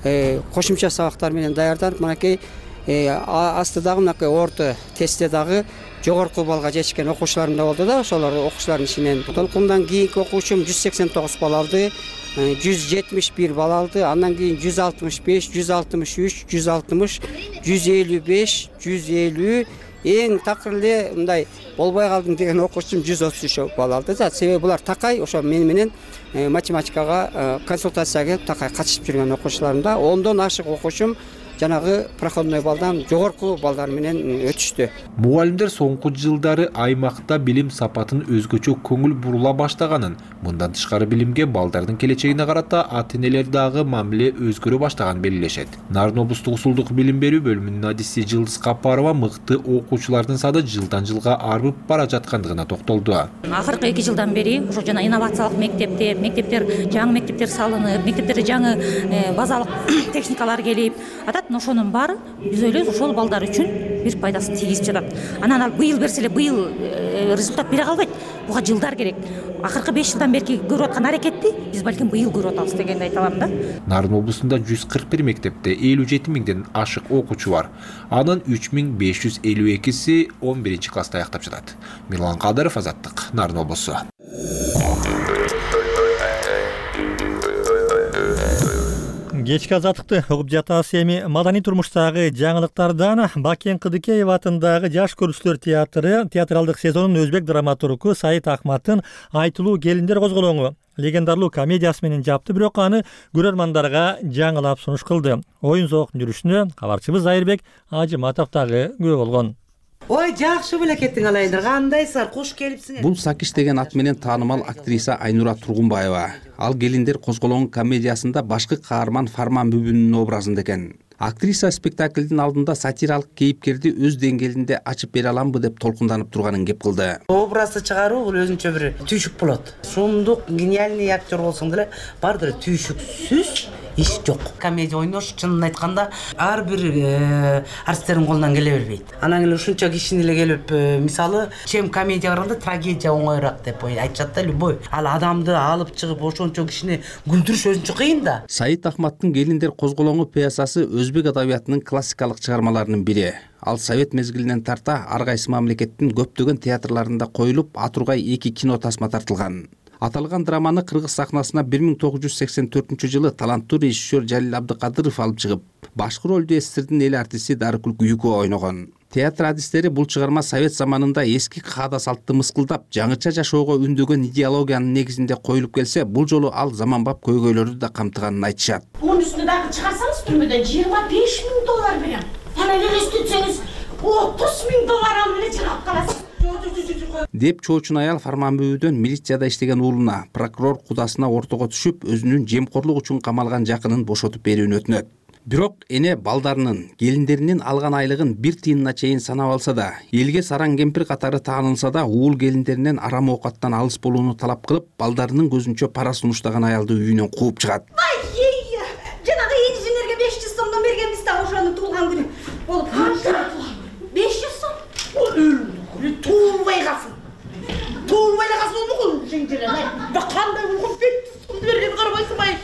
кошумча сабактар менен даярданып мынакей астыдагы мынакей орто тестте дагы жогорку балга жетишкен окуучуларым да болду да, ошолор окуучулардын ичинен толкундан кийинки окуучум 189 балл алды, 171 балл алды, андан кийин 165, 163, 160, 155, 150, эң такыр эле мындай болбой калдым деген окуучум 133 балл алды да. Себеби булар такай ошо мени менен математикага консультацияга келип такай катышып жүргөн окуучуларым да. 10дон ашык окуучум жанагы проходной балдан жогорку балдар менен өтүштү. Мугалимдер соңку жылдары аймакта билим сапатын өзгөчө көңүл бурула баштаганын, мындан тышкары билимге балдардын келечегине карата ата-энелер дагы мамиле өзгөрө баштаганын белгилешет. Нарын облустук усулдук билим берүү бөлүмүнүн адиси Жылдыз Капарова мыкты окуучулардын саны жылдан жылга арбып бара жаткандыгына токтолду. Акыркы 2 жылдан бери ошо жана инновациялык мектептер, жаңы мектептер салынып, мектептерде жаңы базалык техникалар келип атат. Ошонун баары биз ойлойбуз ошол балдар үчүн бир пайдасын тийгизип жатат. Анан ал быйыл берсе эле быйыл результат бере калбайт. Буга жылдар керек. Акыркы 5 жылдан бери көрүп аткан аракетти биз балким быйыл көрүп атабыз дегенди айта алам да. Нарын облусунда 141 мектепте 57 миңден ашык окуучу бар. Анын 3552си 11-класста аяктап жатат. Мирлан Кадыров, Азаттык, Нарын облусу. Кечки азаттыкты угуп жатабыз. Эми маданий турмуштагы жаңылыктардан Бакен Кыдыкеев атындагы Жаш көрүүчүлөр театры театралдык сезонунун өзбек драматургу Саид Ахматтын Айтылуу келиндер козголоңу легендарлуу комедиясы менен жапты, бирок аны көрөрмандарга жаңылап сунуш кылды. Оюн зоокун жүрүшүнө кабарчыбыз Айырбек Ажыматов дагы күбө болгон. Ой, жакшы беле кеттиң алайындар. Кандайсыңар? Куш келипсиңер. Бул Сакиш деген ат менен таанымал актриса Айнура Тургунбаева. Ал келиндер козголоңу комедиясында башкы каарман Фарман Бүбүнүн образында экен. Актриса спектаклдин алдында сатиралык кейипкерди өз деңгээлинде ачып бере аламбы деп толкунданып турганын кеп кылды. Образды чыгаруу бул өзүнчө бир түйшүк болот. Сумдук, гениальный актер болсоң деле бардыр түйшүксүз иш жок. Комедия ойнош чынын айтканда ар бир артисттердин колунан келе бербейт. Анан эле ушунча кишини эле келип, мисалы, чем комедия караганда трагедия оңоюраак деп айтышат да, любой. Ал адамды алып чыгып ошончо кишини күлдүрүш өзүнчө кыйын да. Саид Ахматтын Келиндер козголоңу пьесасы өзбек адабиятынын классикалык чыгармаларынын бири. Ал совет мезгилинен тарта ар кайсы мамлекеттин көптөгөн театрларында коюлуп, атургай 2 кино тасма тартылган. Аталган драманы кыргыз сахнасына 1984 таланттуу режиссер Жалил Абдыкадыров алып чыгып, башкы ролду СССРдин эл артисти Дарыкүл Күйүкова ойногон. Театр адистери бул чыгарма совет заманында эски каада салтты мыскылдап, жаңыча жашоого үндөгөн идеологиянын негизинде коюлуп келсе, бул жолу ал заманбап көйгөйлөрдү да камтыганын айтышат. Мунун үстүнө дагы чыгарсаңыз түрмөдөн $25,000 берем. Аны элестетсеңиз $30,000 алып эле чыгып каласыз. Деп чоочун аял Фарман Бүбүдөн милицияда иштеген уулуна, прокурор кудасына ортого түшүп, өзүнүн жемкорлук үчүн камалган жакынын бошотуп берүүнү өтүнөт. Бирок эне балдарынын, келиндеринин алган айлыгын 1 тыйынына чейин санап алса да, элге сараң кемпир катары таанылса да, уул келиндеринен арам оокаттан алыс болууну талап кылып, балдарынын көзүнчө пара сунуштаган аялды үйүнөн кууп чыгат. Жанагы энженерге 500 сомдон бергенбиз да ошонун туулган күнү. Болуп канча? 500 сом. Туылбай калсын. Туылбай калсын болмогул жеңжелер. Кандай болгон 500 сомду берген карабайсыңбай.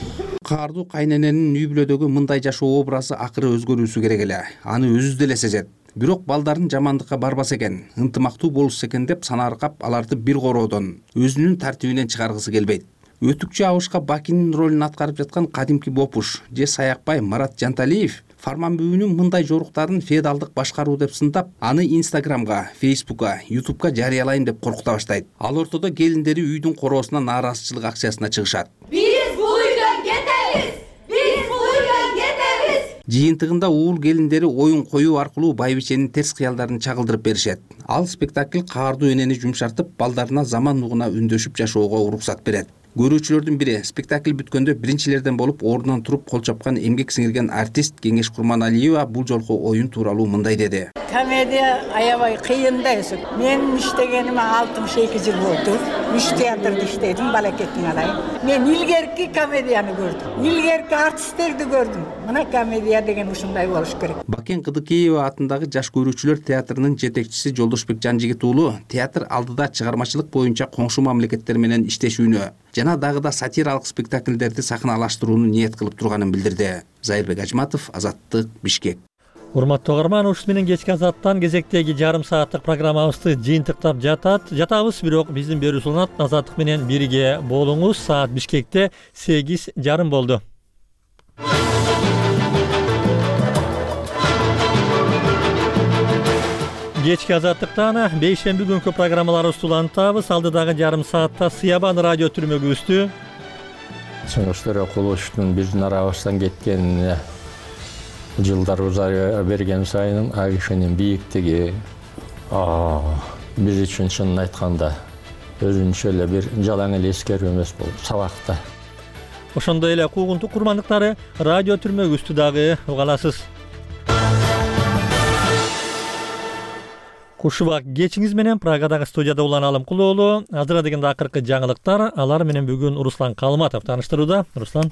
Каардуу кайнененин үй бүлөдөгү мындай жашоо образы акыры өзгөрүүсү керек эле. Аны өзү деле сезет. Бирок балдарын жамандыкка барбаса экен, ынтымактуу болушса экен деп санааркап, аларды бир короодон, өзүнүн тартибинен чыгаргысы келбейт. Өтүкчү абышка Бакинин ролун аткарып жаткан кадимки Бопуш же Саякбай Марат Жанталиев Фарман Бүбүнүн мындай жоруктарын феодалдык башкаруу деп сындап, аны Инстаграмга, Фейсбукка, Ютубка жарыялайм деп коркута баштайт. Ал ортодо келиндери үйдүн короосуна нааразычылык акциясына чыгышат. Биз бул үйдөн кетебиз. Биз бул үйдөн кетебиз. Жыйынтыгында уул келиндери оюн коюу аркылуу байбиченин терс кыялдарын чагылдырып беришет. Ал спектакль каардуу энени жумшартып, балдарына заман нугуна үндөшүп жашоого уруксат берет. Көрүүчүлөрдүн бири спектакль бүткөндө биринчилерден болуп ордунан туруп кол чапкан эмгек сиңирген артист Кеңеш Курманалиева бул жолку оюн тууралуу мындай деди. Комедия аябай кыйын да өзү. Мен иштегениме 62 жыл болду. 3 театрда иштедим, балакеттин алайын. Мен илгерки комедияны көрдүм. Илгерки артисттерди көрдүм. Мына комедия деген ушундай болуш керек. Бакен Кыдыкеева атындагы Жаш көрүүчүлөр театрынын жетекчиси Жолдошбек Жанжигит уулу театр алдыда чыгармачылык боюнча коңшу мамлекеттер менен иштешүүнү, жана дагы да сатиралык спектакльдерди сахналаштырууну ниет кылып турганын билдирди. Зайырбек Ажматов, Азаттык, Бишкек. Урматтуу угарман, ушул менен кечки Азаттан кезектеги жарым сааттык программабызды жыйынтыктап жатабыз, бирок биздин берүү уланат. Азаттык менен бирге болуңуз. Саат Бишкекте 8:30 болду. Кечки Азаттыктан бейшемби күнкү программаларыбызды улантабыз. Алдыдагы жарым саатта Сыябан радио түрмөгүбүздү Чыңгыз Кулуштун биздин арабыздан кеткенине жылдар узара берген сайын ал кишинин бийиктиги биз үчүн чынын айтканда өзүнчө эле бир жалаң эле эскерүү эмес болду, сабакта. Ошондой эле куугунтук курмандыктары радио түрмөгүбүздү дагы уга аласыз. Кушубак кечиңиз менен Прагадагы студияда Улан Алымкулоолу. Азыр дегенде акыркы жаңылыктар, алар менен бүгүн Руслан Калматов тааныштырууда. Руслан.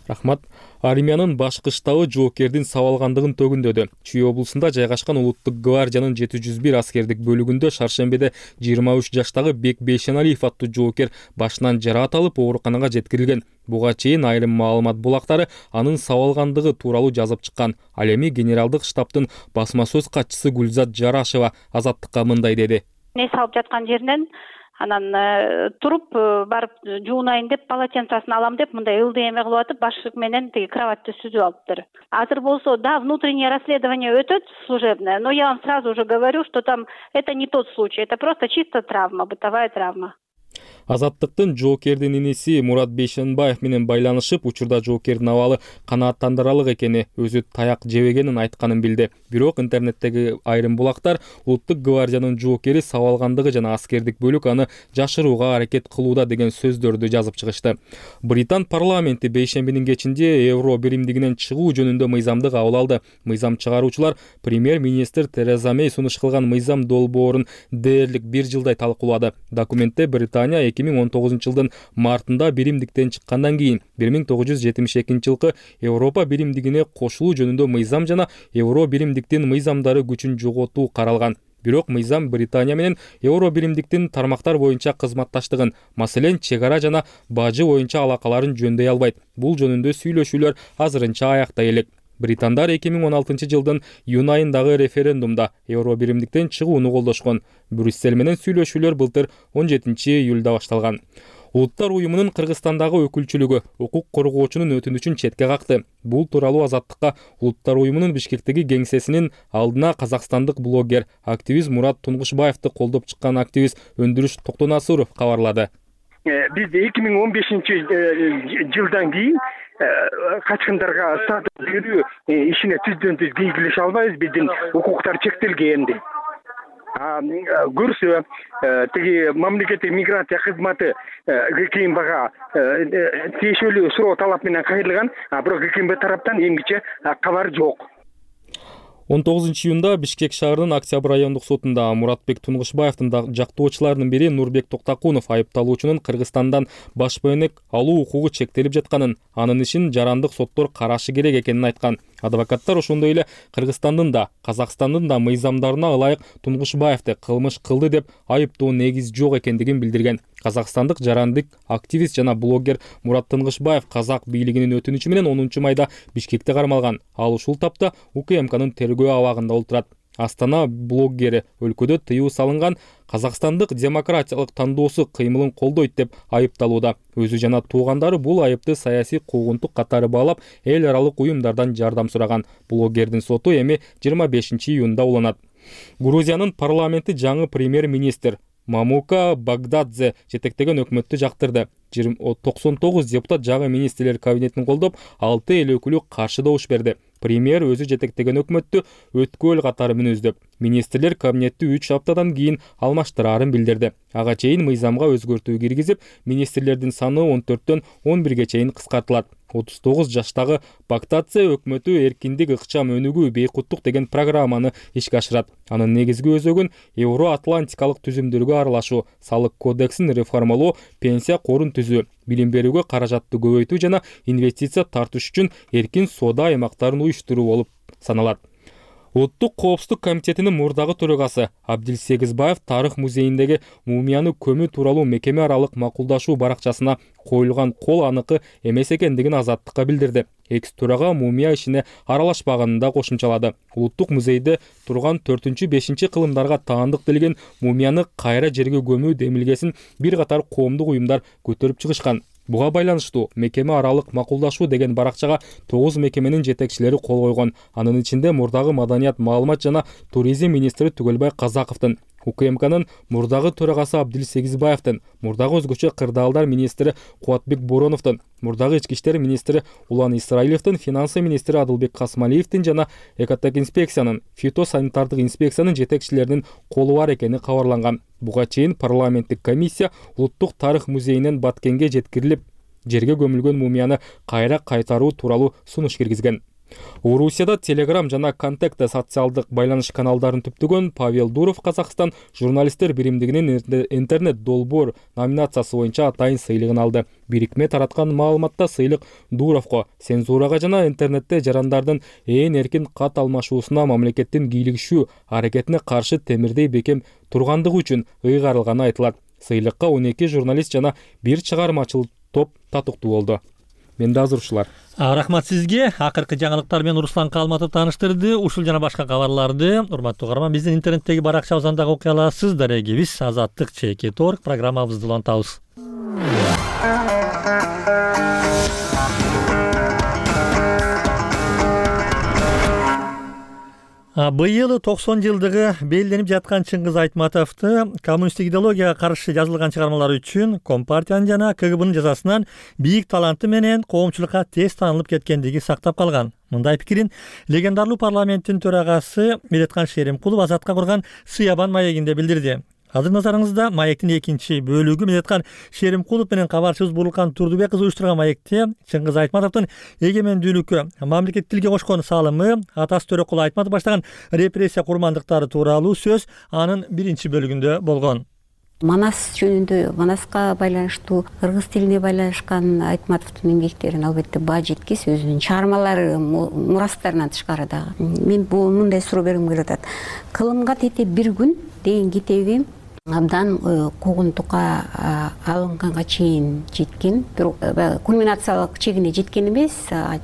Рахмат. Армиянын башкы штабы жоокердин сабалгандыгын төгүндөдү. Чүй облусунда жайгашкан Улуттук гвардиянын 701 аскердик бөлүгүндө шаршембиде 23 жаштагы Бек Бейшеналиев аттуу жоокер башынан жараат алып ооруканага жеткирилген. Буга чейин айрым маалымат булактары анын сабалгандыгы тууралуу жазып чыккан. Ал эми генералдык штабтын басма сөз катчысы Гүлзат Жарашева Азаттыкка мындай деди. Не салып жаткан жеринен анан туруп барып жуунайын деп полотенцасын алам деп мындай ылдый эме кылып атып башык менен тиги кроватьты сүзүп алыптыр. Азыр болсо да внутреннее расследование өтөт служебное, но я вам сразу уже говорю, что там это не тот случай, это просто чисто травма, бытовая травма. Азаттыктын жоокердин иниси Мурат Бейшенбаев менен байланышып, учурда жоокердин абалы канааттандырарлык экени, өзү таяк жебегенин айтканын билди. Бирок интернеттеги айрым булактар Улуттук гвардиянын жоокери сабалгандыгы жана аскердик бөлүк аны жашырууга аракет кылууда деген сөздөрдү жазып чыгышты. Британ парламенти бейшембинин кечинде Евро биримдигинен чыгуу жөнүндө мыйзамды кабыл алды. Мыйзам чыгаруучулар премьер-министр Тереза Мей сунуш кылган мыйзам долбоорун дээрлик 1 жылдай талкуулады. Документте Британия 2019 жылдын мартында биримдиктен чыккандан кийин 1972 жылкы Европа биримдигине кошулуу жөнүндө мыйзам жана Евро биримдиктин мыйзамдары күчүн жоготуу каралган. Бирок мыйзам Британия менен Евро биримдиктин тармактар боюнча кызматташтыгын, маселен, чек-ара жана бажы боюнча алакаларын жөндөй албайт. Бул жөнүндө сүйлөшүүлөр азырынча аякта элек. Британдар 2016 жылдын июнь айындагы референдумда Евро биримдиктен чыгууну колдошкон. Брюссель менен сүйлөшүүлөр былтыр 17 июлда башталган. Улуттар уюмунун Кыргызстандагы өкүлчүлүгү укук коргоочунун өтүнүчүн четке какты. Бул тууралуу Азаттыкка Улуттар уюмунун Бишкектеги кеңсесинин алдына казакстандык блогер, активист Мурат Тунгушбаевди колдоп чыккан активист Өндүрүш Токтонасуров кабарлады. Биз 2015 жылдан кийин качкындарга статус берүү ишине түздөн түз кийгилеше албайбыз. Биздин укуктар чектелген. Көрсө тиги мамлекеттик миграция кызматы ГКМБга тиешелүү суроо талап менен кайрылган, бирок ГКМБ тараптан эмгиче кабар жок. 19 июнда Бишкек шаарынын Октябрь райондук сотунда Муратбек Тунгушбаевдин жактоочуларынын бири Нурбек Токтакунов айыпталуучунун Кыргызстандан баш бөөнөк алуу укугу чектелип жатканын, анын ишин жарандык соттор карашы керек экенин айткан. Адвокаттар ошондой эле Кыргызстандын да, Казакстандын да мыйзамдарына ылайык Тунгушбаевди кылмыш кылды деп айыптоо негиз жок экендигин билдирген. Казакстандык жарандык активист жана блогер Мурат Тунгушбаев казак бийлигинин өтүнүчү менен 10 майда Бишкекте кармалган. Ал ушул тапта УКМКнын тергөө абагында отурат. Астана блоггери өлкөдө тыюу салынган Казакстандык демократиялык тандоосу кыймылын колдойт деп айыпталууда. Өзү жана туугандары бул айыпты саясий куугунтук катары баалап, эл аралык уюмдардан жардам сураган. Блогердин соту эми 25 июнда уланат. Грузиянын парламенти жаңы премьер-министр Мамука Багдадзе жетектеген өкмөттү жактырды. 99 депутат жаңы министрлер кабинетин колдоп, 6 эл өкүлү каршы добуш берди. Премьер өзү жетектеген өкмөттү өткөл катары мүнөздөп, министрлер кабинетти 3 аптадан кийин алмаштырарын билдирди. Ага чейин мыйзамга өзгөртүү киргизип, министрлердин саны 14төн 11ге чейин кыскартылат. 39 жаштагы Бактадзе өкмөтү эркиндик, ыкчам өнүгүү, бейкуттук деген программаны ишке ашырат. Анын негизги өзөгүн Евро-Атлантикалык түзүмдөргө аралашуу, салык кодексин реформалоо, пенсия корун түзүү, билим берүүгө каражатты көбөйтүү жана инвестиция тартыш үчүн эркин соода аймактарын уюштуруу болуп саналат. Улуттук коопсуздук комитетинин мурдагы төрагасы Абдил Сегизбаев тарых музейиндеги мумияны көмүү тууралуу мекеме аралык макулдашуу баракчасына коюлган кол аныкы эмес экендигин Азаттыкка билдирди. Экс төрага мумия ишине аралашпаганын да кошумчалады. Улуттук музейде турган 4-5 кылымдарга таандык делген мумияны кайра жерге көмүү демилгесин бир катар коомдук уюмдар көтөрүп чыгышкан. Буга байланыштуу мекеме аралык макулдашуу деген баракчага 9 мекеменин жетекчилери кол койгон. Анын ичинде мурдагы маданият, маалымат жана туризм министри Түгөлбай Казаковдун, УКМКнын мурдагы төрагасы Абдил Сегизбаевдин, мурдагы өзгөчө кырдаалдар министри Кубатбек Бороновдун, мурдагы ички иштер министри Улан Исраилевдин, финансы министри Адылбек Касмалиевдин жана экотек инспекциянын, фитосанитардык инспекциянын жетекчилеринин колу бар экени кабарланган. Буга чейин парламенттик комиссия Улуттук тарых музейинен Баткенге жеткирилип, жерге көмүлгөн мумияны кайра кайтаруу тууралуу сунуш киргизген. Орусияда Telegram жана Контакта социалдык байланыш каналдарын түптөгөн Павел Дуров Казакстан журналисттер биримдигинин интернет долбоор номинациясы боюнча атайын сыйлыгын алды. Бирикме тараткан маалыматта сыйлык Дуровго цензурага жана интернетте жарандардын ээн эркин кат алмашуусуна мамлекеттин кийлигишүү аракетине каршы темирдей бекем тургандыгы үчүн ыйгарылганы айтылат. Сыйлыкка 12 журналист жана бир чыгармачыл топ татыктуу болду. Менде азыр ушулар. Рахмат сизге. Акыркы жаңылыктар менен Руслан Калматов тааныштырды. Ушул жана башка кабарларды урматтуу угарман биздин интернеттеги баракчабыздан дагы окуй аласыз. Дарегибиз Азаттык ЧК.org программабызды улантабыз. Быйыл 90 жылдыгы белгиленип жаткан Чыңгыз Айтматовду коммунисттик идеологияга каршы жазылган чыгармалары үчүн Компартиянын жана КГБнын жазасынан бийик таланты менен коомчулукка тез таанылып кеткендиги сактап калган. Мындай пикирин легендарлуу парламенттин төрагасы Медеткан Шеримкулов Азатка курган Сыябан маегинде билдирди. Азыр назарыңызда маектин экинчи бөлүгү. Медеткан Шеримкулов менен кабарчыбыз Бурулкан Турдубек кызы уюштурган маекте Чыңгыз Айтматовдун эгемендүүлүккө, мамлекеттик тилге кошкон салымы, атасы Төрөкул Айтматов баштаган репрессия курмандыктары тууралуу сөз анын биринчи бөлүгүндө болгон. Манас жөнүндө, Манаска байланыштуу, кыргыз тилине байланышкан Айтматовдун эмгектерин албетте баа жеткис, өзүнүн чыгармалары, мурастарынан тышкары дагы. Мен мындай суроо бергим келип атат. Кылымга тете бир күн деген китебим абдан куугунтукка алынганга чейин жеткен, бирок кульминациялык чегине жеткен эмес,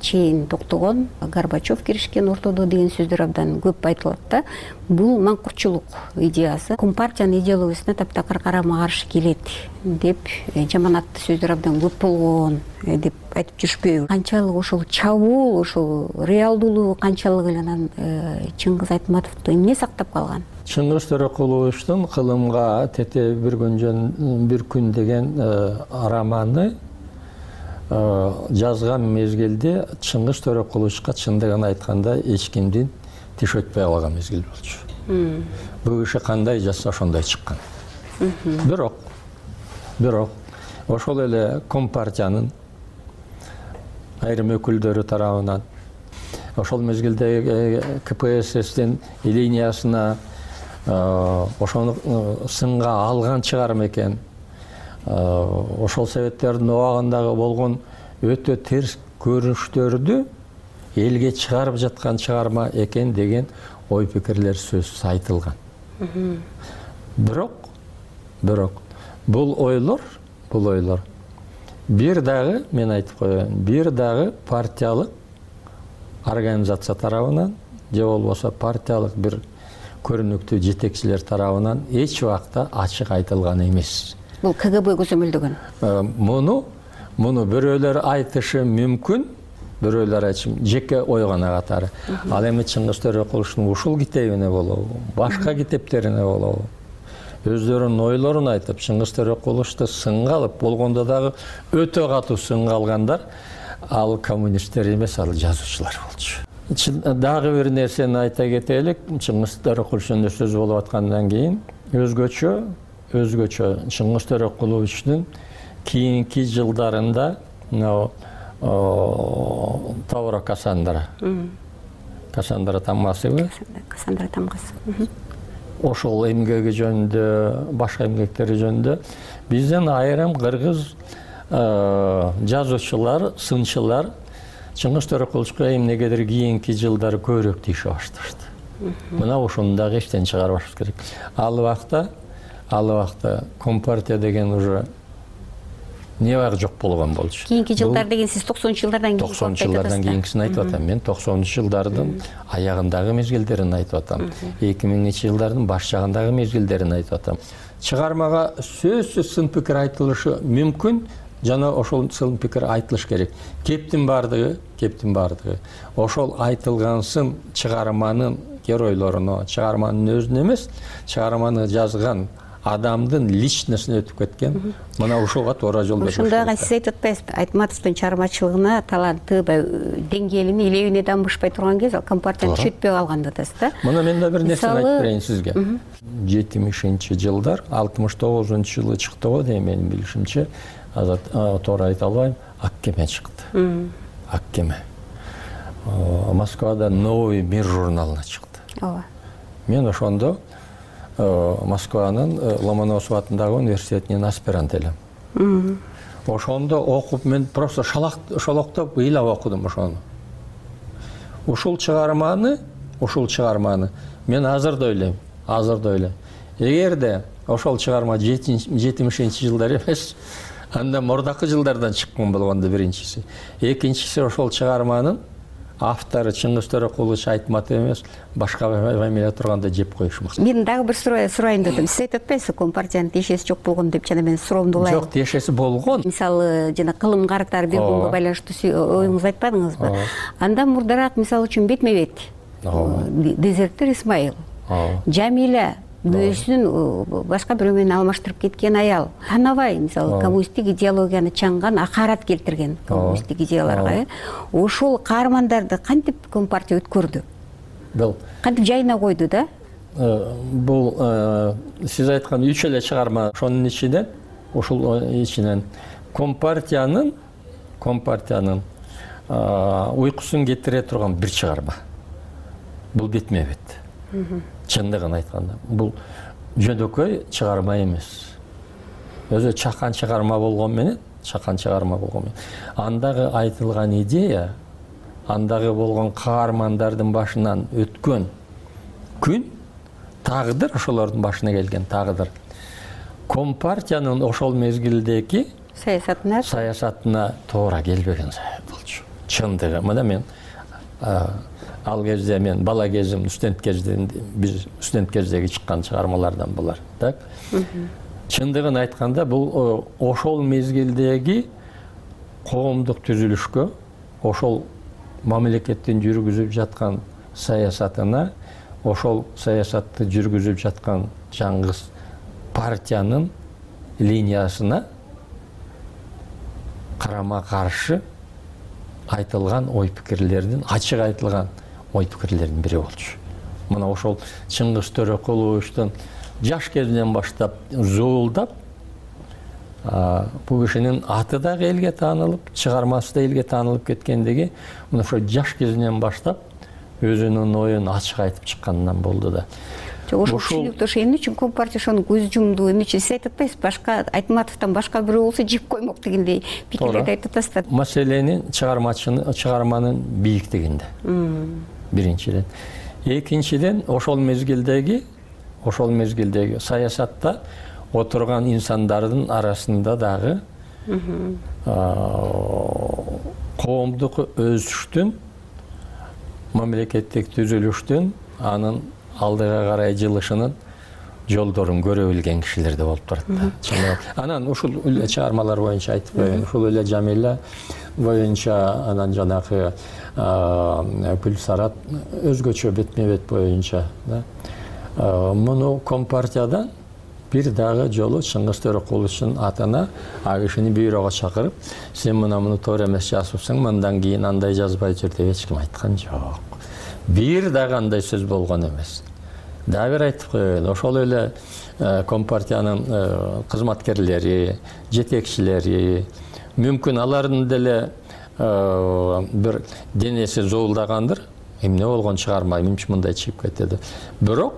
чейин токтогон, Горбачев киришкен ортодо деген сөздөр абдан көп айтылат да. Бул маңкуртчулук идеясы Компартиянын идеологиясына таптакыр карама каршы келет деп жаманаттуу сөздөр абдан көп болгон деп айтып жүрүшпөйбү? Канчалык ошол чабуул, ошол реалдуулугу канчалык эле анан Чыңгыз Айтматовду эмне сактап калган? Чыңгыз Төрөкуловичтин кылымга тете бир күн деген романы жазган мезгилде Чыңгыз Төрөкуловичка чындыгын айтканда эч кимдин тиш өтпөй калган мезгил болчу. Бул киши кандай жазса ошондой чыккан. Бирок ошол эле Компартиянын айрым өкүлдөрү тарабынан ошол мезгилде КПССтин линиясына ошону сынга алган чыгарым экен. Ошол советтердин убагындагы болгон өтө терс көрүнүштөрдү элге чыгарып жаткан чыгарма экен деген ой пикирлер сөзсүз айтылган. Бирок бул ойлор бир дагы, мен айтып коеюн, бир дагы партиялык организация тарабынан же болбосо партиялык бир көрүнүктүү жетекчилер тарабынан эч убакта ачык айтылган эмес. Бул КГБ көзөмөлдөгөн. Муну бирөөлөр айтышы мүмкүн, бирөөлөр айтышы жеке ой гана катары. Ал эми Чыңгыз Төрөкуловичтин ушул китебине болобу, башка китептерине болобу, өздөрүнүн ойлорун айтып, Чыңгыз Төрөкуловичти сынга алып, болгондо дагы өтө катуу сынга алгандар ал коммунисттер эмес, ал жазуучулар болчу. Дагы бир нерсени айта кетелик. Чыңгыз Төрөкуловичтин сөз болуп аткандан кийин өзгөчө Чыңгыз Төрөкуловичтин кийинки жылдарында Тавра Кассандра тамгасыбы? Кассандра тамгасы. Ошол эмгеги жөнүндө, башка эмгектери жөнүндө бизден айрым кыргыз жазуучулар, сынчылар Чыңгыз Төрөкуловичка эмнегедир кийинки жылдары көбүрөөк тийише башташты. Мына ушуну дагы эчтен чыгарбашыбыз керек. Ал убакта компартия деген уже небагы жок болгон болчу. Кийинки жылдар деген сиз 90-жылдардан кийин 90-жылдардан кийинкисин айтып атам. Мен 90-жылдардын аягындагы мезгилдерин айтып атам. 2000-жылдардын баш жагындагы мезгилдерин айтып атам. Чыгармага сөзсүз сын пикир айтылышы мүмкүн, жана ошол сын пикир айтылыш керек. Кептин бардыгы ошол айтылган сын чыгарманын геройлоруна, чыгарманын өзүнө эмес, чыгарманы жазган адамдын личностуна өтүп кеткен. Мына ушуга туура жол бериш. Ошондойго сиз айтып атпайсызбы? Айтматовдун чыгармачылыгына, таланты, деңгээлине, илебине дамбышпай турган кез ал компартияны күчөтпөй калган деп атасыз да? Мына мен да бир нерсени айтып берейин сизге. 70-жылдар, 69-жылы чыкты го дейм менин билишимче. Туура айта албайм, Ак кеме чыкты. Ак кеме. Москвада Новый мир журналына чыкты. Ооба. Мен ошондо Москванын Ломоносов атындагы университетинин аспирант элем. Ошондо окуп мен просто шолоктоп ыйлап окудум ошону. Ушул чыгарманы мен азыр да ойлойм. Эгерде ошол чыгарма 70-жылдар эмес, анда мурдакы жылдардан чыккан болгондо биринчиси. Экинчиси ошол чыгарманын автору Чыңгыз Төрөкулович Айтматов эмес, башка фамилия турганда жеп коюшмак. Мен дагы бир сурайын дедим. Сиз айтып атпайсызбы, компартиянын тиешеси жок болгон деп, жана мен суроомду улайын. Жок, тиешеси болгон. Мисалы, жана кылым карытар бир күнгө байланыштуу оюңузду айтпадыңызбы? Андан мурдараак мисалы үчүн бетме-бет Дезертир Исмаил, Жамиля өзүнүн башка бирөө менен алмаштырып кеткен аял, Танабай мисалы коммунисттик идеологияны чаңган, акарат келтирген коммунисттик идеяларга, ошол каармандарды кантип компартия өткөрдү? Кантип жайына койду да? Бул сиз айткан 3 эле чыгарма, ошонун ичинен компартиянын уйкусун кетире турган бир чыгарма. Бул бетме-бет. Чындыгын айтканда, бул жөнөкөй чыгарма эмес. Өзү чакан чыгарма болгон менен, андагы айтылган идея, андагы болгон каармандардын башынан өткөн күн, тагдыр, ошолордун башына келген тагдыр. Компартиянын ошол мезгилдеги саясатына туура келбеген болчу. Чындыгы, мына мен ал кезде мен бала кезим, студент кездеги чыккан чыгармалардан булар. Так? Чындыгын айтканда, бул ошол мезгилдеги коомдук түзүлүшкө, ошол мамлекеттин жүргүзүп жаткан саясатына, ошол саясатты жүргүзүп жаткан жаңгыз партиянын линиясына карама каршы айтылган ой пикирлердин, ачык айтылган ой пикирлердин бири болчу. Мына ошол Чыңгыз Төрөкуловичтун жаш кезинен баштап зуулдап, бул кишинин аты дагы элге таанылып, чыгармасы да элге таанылып кеткендиги, мына ошо жаш кезинен баштап өзүнүн оюн ачык айтып чыкканынан болду да. Ошол түшүнүктүү ошо эмне үчүн компартия ошону көз жумду, эмне үчүн сиз айтып атпайсызбы, башка Айтматовдон башка бирөө болсо жеп коймок дегендей пикирлерди айтып атасыздар. Маселенин чыгарманын бийиктигинде. Биринчиден. Экинчиден, ошол мезгилдеги саясатта отурган инсандардын арасында дагы коомдук өсүштүн, мамлекеттик түзүлүштүн, анын алдыга карай жылышынын жолдорун көрө билген кишилер да болуп турат. Анан ушул эле чыгармалар боюнча айтып коеюн. Ушул эле Жамиля боюнча, анан жанагы Гүлсарат өзгөчө бетме-бет боюнча. Муну компартиядан бир дагы жолу Чыңгыз Төрөкуловичтун атына ал кишини бюрого чакырып, сен муну туура эмес жазыпсың, мындан кийин андай жазбай жүр деп эч ким айткан жок. Бир дагы андай сөз болгон эмес. Дагы бир айтып коеюн, ошол эле компартиянын кызматкерлери, жетекчилери, мүмкүн алардын деле бир денеси зуулдагандыр, эмне болгон чыгарма, эмне мындай чыгып кетти. Бирок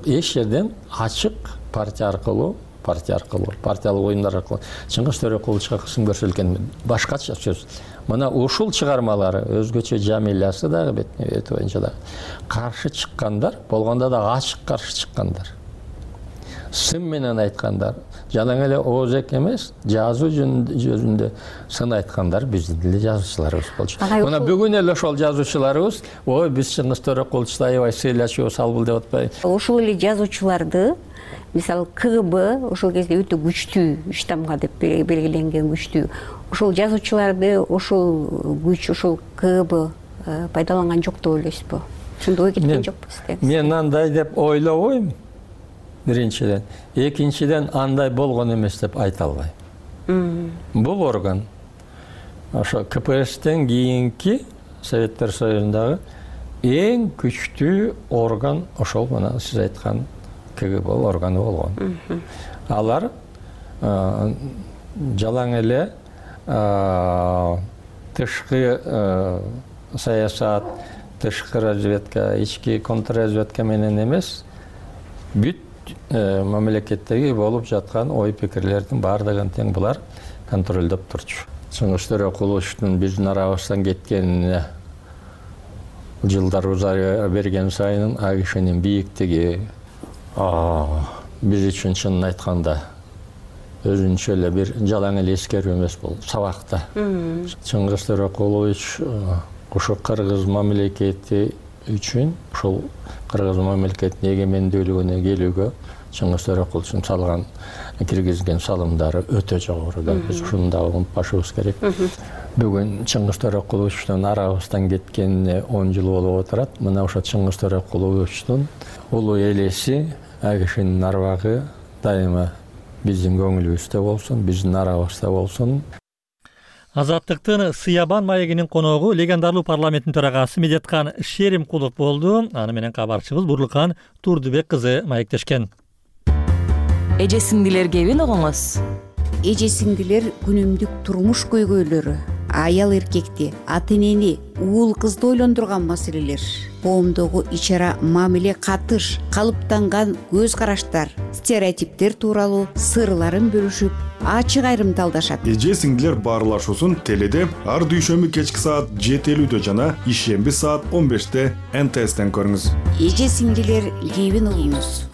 эч жерден ачык партия аркылуу партия аркылуу, партиялык уюмдар аркылуу. Чыңгыз Төрөкуловичка кысым көрсөтүлгөн башкача сөз. Мына ушул чыгармалары өзгөчө Жамилясы дагы бет боюнча дагы каршы чыккандар, болгондо да ачык каршы чыккандар. Сын менен айткандар, жалаң эле оозек эмес, жазуу жөнүндө сын айткандар биздин эле жазуучуларыбыз болчу. Мына бүгүн эле ошол жазуучуларыбыз, ой биз Чыңгыз Төрөкуловичти аябай сыйлачубуз, албул деп атпайбы. Ошол эле жазуучуларды, мисалы КГБ ошол кезде өтө күчтүү, 3 тамга деп белгиленген күчтүү. Ошол жазуучуларды, ошол күч, ошол КГБ пайдаланган жок деп ойлойсузбу? Ошондой ой кеткен жокпу? Мен андай деп ойлобойм. Биринчиден, экинчиден андай болгон эмес деп айта албайм. Бул орган ошо КПССтен кийинки Советтер Союзундагы эң күчтүү орган ошол мына сиз айткан КГБ органы болгон. Алар жалаң эле тышкы саясат, тышкы разведка, ички контрразведка менен эмес, бүт мамлекеттеги болуп жаткан ой пикирлердин баардыгын тең булар контролдоп турчу. Чыңгыз Төрөкуловичтин биздин арабыздан кеткенине жылдар узара берген сайын ал кишинин бийиктиги биз үчүн чынын айтканда өзүнчө эле бир жалаң эле эскерүү эмес, бул сабакта. Чыңгыз Төрөкулович ошо кыргыз мамлекети үчүн, ошол кыргыз мамлекетинин эгемендүүлүгүнө келүүгө Чыңгыз Төрөкуловичтин салган, киргизген салымдары өтө жогору. Биз ушуну да унутпашыбыз керек. Бүгүн Чыңгыз Төрөкуловичтин арабыздан кеткенине 10 жыл болуп отурат. Мына ошо Чыңгыз Төрөкуловичтин улуу элеси, ал кишинин арбагы дайыма биздин көңүлүбүздө болсун, биздин арабызда болсун. Азаттыктын Сыябан маегинин коногу легендарлуу парламенттин төрагасы Медеткан Шеримкулов болду. Аны менен кабарчыбыз Бурлукан Турдубек кызы маектешкен. Эже сиңдилерге эбин огоңуз. Эже сиңдилер күнүмдүк турмуш көйгөйлөрү, аял эркекти, ата энени, уул кызды ойлондурган маселелер, коомдогу ичара мамиле катыш, калыптанган көз караштар, стереотиптер тууралуу сырларын бөлүшүп, ачык айрымдалдашат. Эже сиңдилер баарлашуусун теледе ар дүйшөмбү кечки саат 7:50 жана ишемби саат 15-те НТСтен көрүңүз. Эже сиңдилер кебин угуңуз.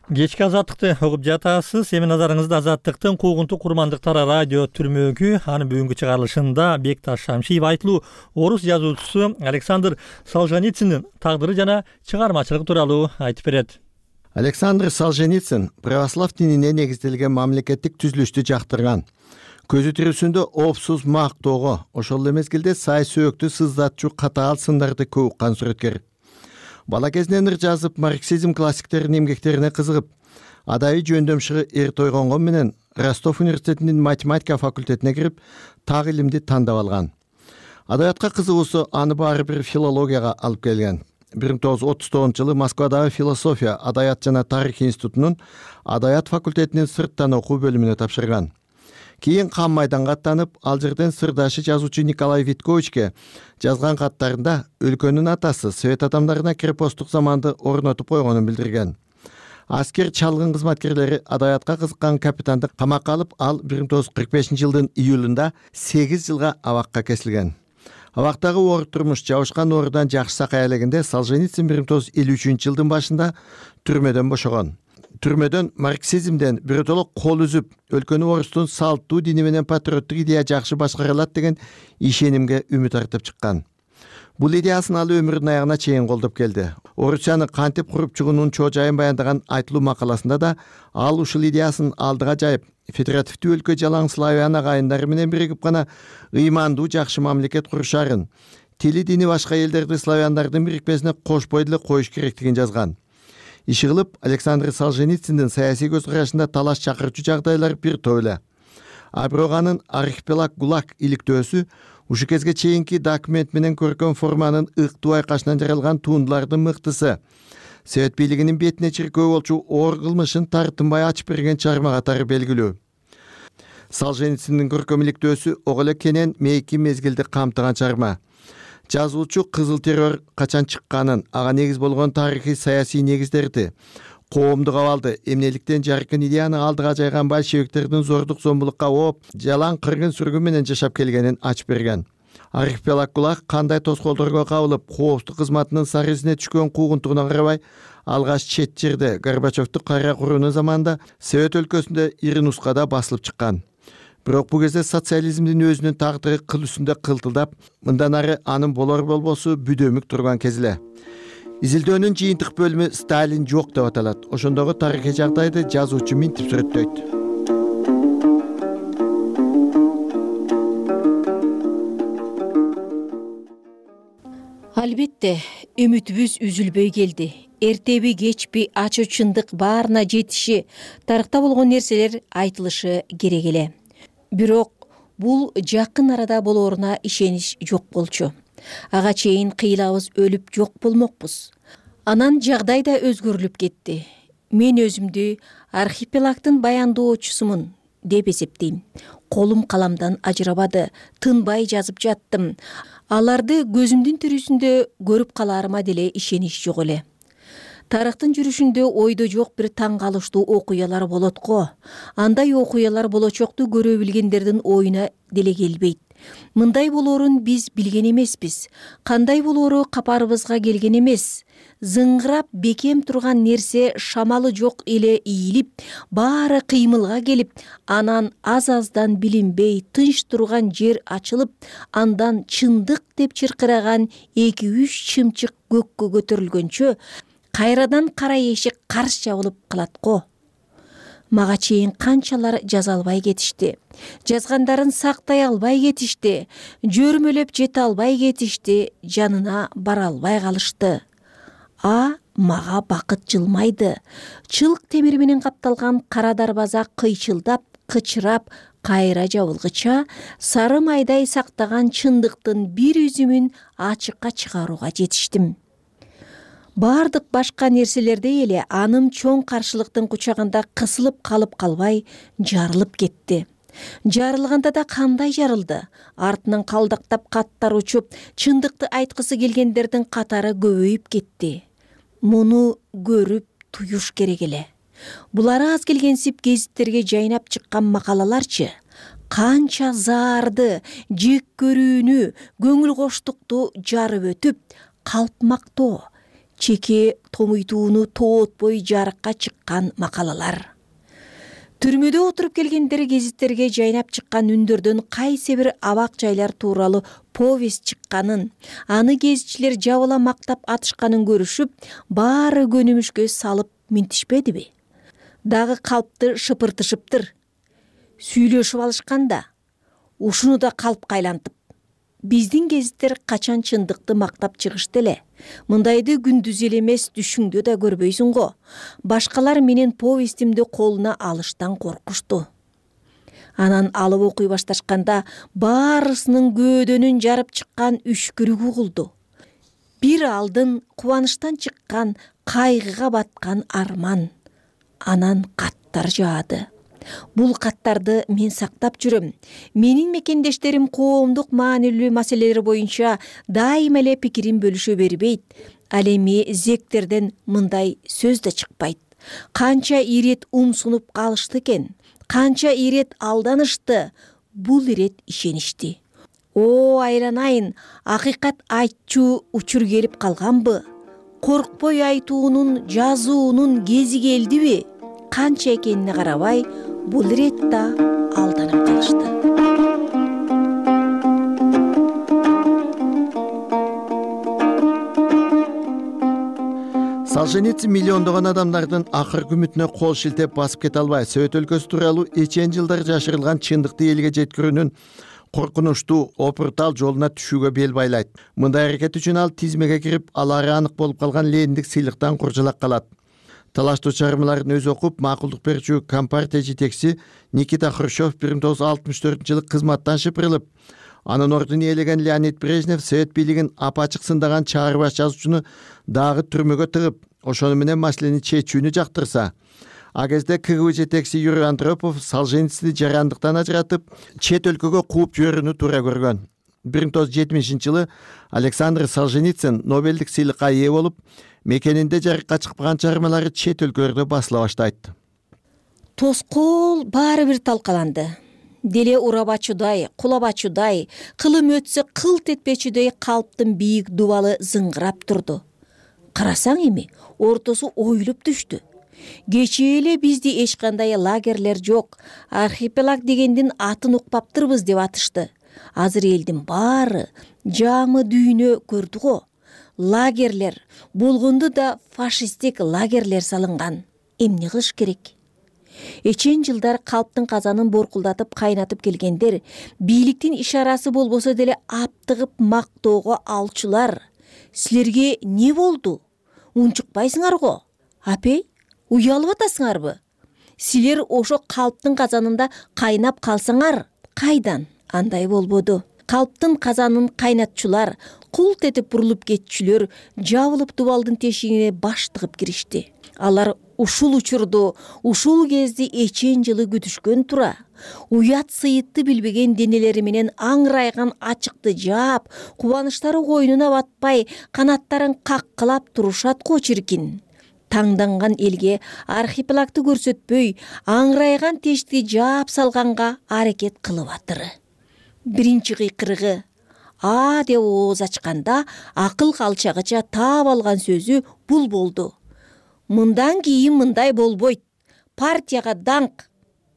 Кечки азаттыкты угуп жатасыз. Эми назарыңызды азаттыктын куугунтук курмандыктары радио түрмөгү, анын бүгүнкү чыгарылышында Бекташ Шамшиев айтылуу орус жазуучусу Александр Солженициндин тагдыры жана чыгармачылыгы тууралуу айтып берет. Александр Солженицин православ динине негизделген мамлекеттик түзүлүштү жактырган. Көзү тирүүсүндө опсуз мактоого, ошол эле мезгилде сай сөөктү сыздатчу катаал сындарды көп уккан сүрөткер. Бала кезинен ыр жазып, марксизм классиктеринин эмгектерине кызыгып, адайы жөндөмчүгү эр тойгонгон менен Ростов университетинин математика факультетине кирип, так илимди тандап алган. Адабиятка кызыгуусу аны баары бир филологияга алып келген. 1939-жылы Москвадагы философия, адабият жана тарих институтунун адабият факультетинин сырттан окуу бөлүмүнө тапшырган. Кийин Кам майданга аттанып, ал жерден сырдашы жазуучу Николай Витковичке жазган каттарында өлкөнүн атасы совет адамдарына крепосттук заманды орнотуп койгонун билдирген. Аскер чалгын кызматкерлери адабиятка кызыккан капитанды камакка алып, ал 1945-жылдын июлунда 8 жылга абакка кесилген. Абактагы оор турмуш жабышкан оорудан жакшы сакай элегенде Солженицин 1953-жылдын башында түрмөдөн бошогон. Түрмөдөн марксизмден биротоло кол үзүп, өлкөнү орустун салттуу дини менен патриоттук идея жакшы башкарылат деген ишенимге үмүт артып чыккан. Бул идеясын ал өмүрүнүн аягына чейин колдоп келди. Орусияны кантип куруп чыгуунун чоо жайын баяндаган айтылуу макаласында да ал ушул идеясын алдыга жайып, федеративдүү өлкө жалаң славян агайындары менен биригип гана ыймандуу жакшы мамлекет курушарын, тили дини башка элдерди славяндардын бирикпесине кошпой деле коюш керектигин жазган. Иши кылып, Александр Солженициндин саясий көз карашында талаш чакырчу жагдайлар бир топ эле. А бирок анын архипелаг ГУЛАГ иликтөөсү ушу кезге чейинки документ менен көркөм форманын ыктуу айкашынан жаралган туундулардын мыктысы. Совет бийлигинин бетине чиркөө болчу оор кылмышын тартынбай ачып берген чыгарма катары белгилүү. Солженициндин көркөм иликтөөсү ого эле кенен мейки мезгилди камтыган чыгарма. Жазуучу кызыл террор качан чыкканын, ага негиз болгон тарыхый саясий негиздерди, коомдук абалды эмнеликтен жаркын идеяны алдыга жайган большевиктердин зордук зомбулукка ооп жалаң кыргын сүргүн менен жашап келгенин ачып берген. Архипелаг кулак кандай тоскоолдорго кабылып коопсуздук кызматынын сары изине түшкөн куугунтугуна карабай алгач чет жерде Горбачевдун кайра курууну заманында Совет өлкөсүндө ири нускада басылып чыккан. Бирок бул кезде социализмдин өзүнүн тагдыры кыл үстүндө кылтылдап, мындан ары анын болор болбосу бүдөмүк турган кез эле. Изилдөөнүн жыйынтык бөлүмү Сталин жок деп аталат. Ошондогу тарыхый жагдайды жазуучу минтип сүрөттөйт. Албетте, үмүтүбүз үзүлбөй келди. Эртеби кечпи ачуу чындык баарына жетиши, тарыхта болгон нерселер айтылышы керек эле. Бирок бул жакын арада болоруна ишенич жок болчу. Ага чейин кыйлабыз өлүп жок болмокпуз. Анан жагдай да өзгөрүлүп кетти. Мен өзүмдү архипелагдын баяндоочусумун деп эсептейм. Колум каламдан ажырабады, тынбай жазып жаттым. Аларды көзүмдүн тирүүсүндө көрүп каларыма деле ишенич жок эле. Тарыхтын жүрүшүндө ойдо жок бир таң калыштуу окуялар болот го. Андай окуялар болочокту көрө билгендердин оюна деле келбейт. Мындай болоорун биз билген эмеспиз. Кандай болоору капарыбызга келген эмес. Зыңгырап бекем турган нерсе шамалы жок эле ийилип, баары кыймылга келип, анан аз-аздан билинбей тынч турган жер ачылып, андан чындык деп чыркыраган 2-3 чымчык көккө көтөрүлгөнчө кайрадан кара эшик карш жабылып калат го. Мага чейин канчалар жаза албай кетишти. Жазгандарын сактай албай кетишти. Жөрмөлөп жете албай кетишти. Жанына бара албай калышты. Мага бакыт жылмайды. Чылк темир менен капталган кара дарбаза кыйчылдап, кычырап, кайра жабылгыча сары майдай сактаган чындыктын бир үзүмүн ачыкка чыгарууга жетиштим. Бардык башка нерселердей эле аным чоң каршылыктын кучагында кысылып калып калбай жарылып кетти. Жарылганда да кандай жарылды? Артынан калдактап каттар учуп, чындыкты айткысы келгендердин катары көбөйүп кетти. Муну көрүп туюш керек эле. Булары аз келгенсип гезиттерге жайнап чыккан макалаларчы? Канча заарды, жек көрүүнү, көңүл коштукту жарып өтүп, калпмактоо, чеке томуйтууну тоотпой жарыкка чыккан макалалар. Түрмөдө отуруп келгендер гезиттерге жайнап чыккан үндөрдөн кайсы бир абак жайлар тууралуу повесть чыкканын, аны гезитчилер жабыла мактап атышканын көрүшүп, баары көнүмүшкө салып минтишпедиби? Дагы калпты шыпыртышыптыр. Сүйлөшүп алышканда, ушуну да калпка айлантып. Биздин гезиттер качан чындыкты мактап чыгышты эле. Мындайды күндүз эле эмес, түшүңдө да көрбөйсүң го. Башкалар менен повестимди колуна алыштан коркушту. Анан алып окуй башташканда баарысынын көөдөнүн жарып чыккан үшкүрүк угулду. Бир алдын кубанычтан чыккан, кайгыга баткан арман. Анан каттар жаады. Бул каттарды мен сактап жүрөм. Менин мекендештерим коомдук маанилүү маселелер боюнча дайыма эле пикирин бөлүшө бербейт. Ал эми зектерден мындай сөз да чыкпайт. Канча ирет умсунуп калышты экен, канча ирет алданышты, бул ирет ишеништи. Айланайын, акыйкат айтчу учур келип калганбы? Коркпой айтуунун, жазуунун кези келдиби? Канча экенине карабай, бул ирет да алданып калышты. Солженицин миллиондогон адамдардын акыркы үмүтүнө кол шилтеп басып кете албай, Совет өлкөсү тууралуу эчен жылдар жашырылган чындыкты элге жеткирүүнүн коркунучтуу, опуртал жолуна түшүүгө бел байлайт. Мындай аракет үчүн ал тизмеге кирип, алары анык болуп калган Лениндик сыйлыктан куржалак калат. Талаштуу чыгармаларын өзү окуп, макулдук берүүчү Компартия жетекчиси Никита Хрущев 1964-жылы кызматтан шыпырылып, анын ордун ээлеген Леонид Брежнев Совет бийлигин апачык сындаган чаарбаш жазуучуну дагы түрмөгө тыгып, ошону менен маселени чечүүнү жактырса, а кезде КГБ жетекчиси Юрий Андропов Солженицини жарандыктан ажыратып, чет өлкөгө кууп жиберүүнү туура көргөн. 1970 Александр Солженицын Нобелдик сыйлыкка ээ болуп, мекенинде жарыкка чыкпаган чыгармалары чет өлкөлөрдө басыла баштайт. Тоскоол баары бир талкаланды. Деле урабачудай, кулабачудай, кылым өтсө кылт этпечүдөй калптын бийик дубалы зыңгырап турду. Карасаң эми ортосу оюлуп түштү. Кечээ эле бизде эч кандай лагерлер жок, архипелаг дегендин атын укпаптырбыз деп атышты. Азыр элдин баары жаңы дүйнө көрдү го. Лагерлер болгонду да фашисттик лагерлер салынган. Эмне кылыш керек? Эчен жылдар калптын казанын боркулдатып кайнатып келгендер, бийликтин ишарасы болбосо деле аптыгып мактоого алчулар. Силерге не болду? Унчукпайсыңар го? Апей, уялып атасыңарбы? Силер ошо калптын казанында кайнап калсаңар, кайдан? Андай болбоду. Калптын казанын кайнатчулар, култ этип бурулуп кетчүлөр жабылып дубалдын тешигине баш тыгып киришти. Алар ушул учурду, ушул кезди эчен жылы күтүшкөн тура. Уят сыйытты билбеген денелери менен аңырайган ачыкты жаап, кубанычтары койнуна батпай, канаттарын каккылап турушат го чиркин. Таңданган элге архипелагды көрсөтпөй, аңырайган тешти жаап салганга аракет кылып атыры. Биринчи кыйкырыгы А деп ооз ачканда акыл калчагыча таап алган сөзү бул болду. Мындан кийин мындай болбойт. Партияга даңк.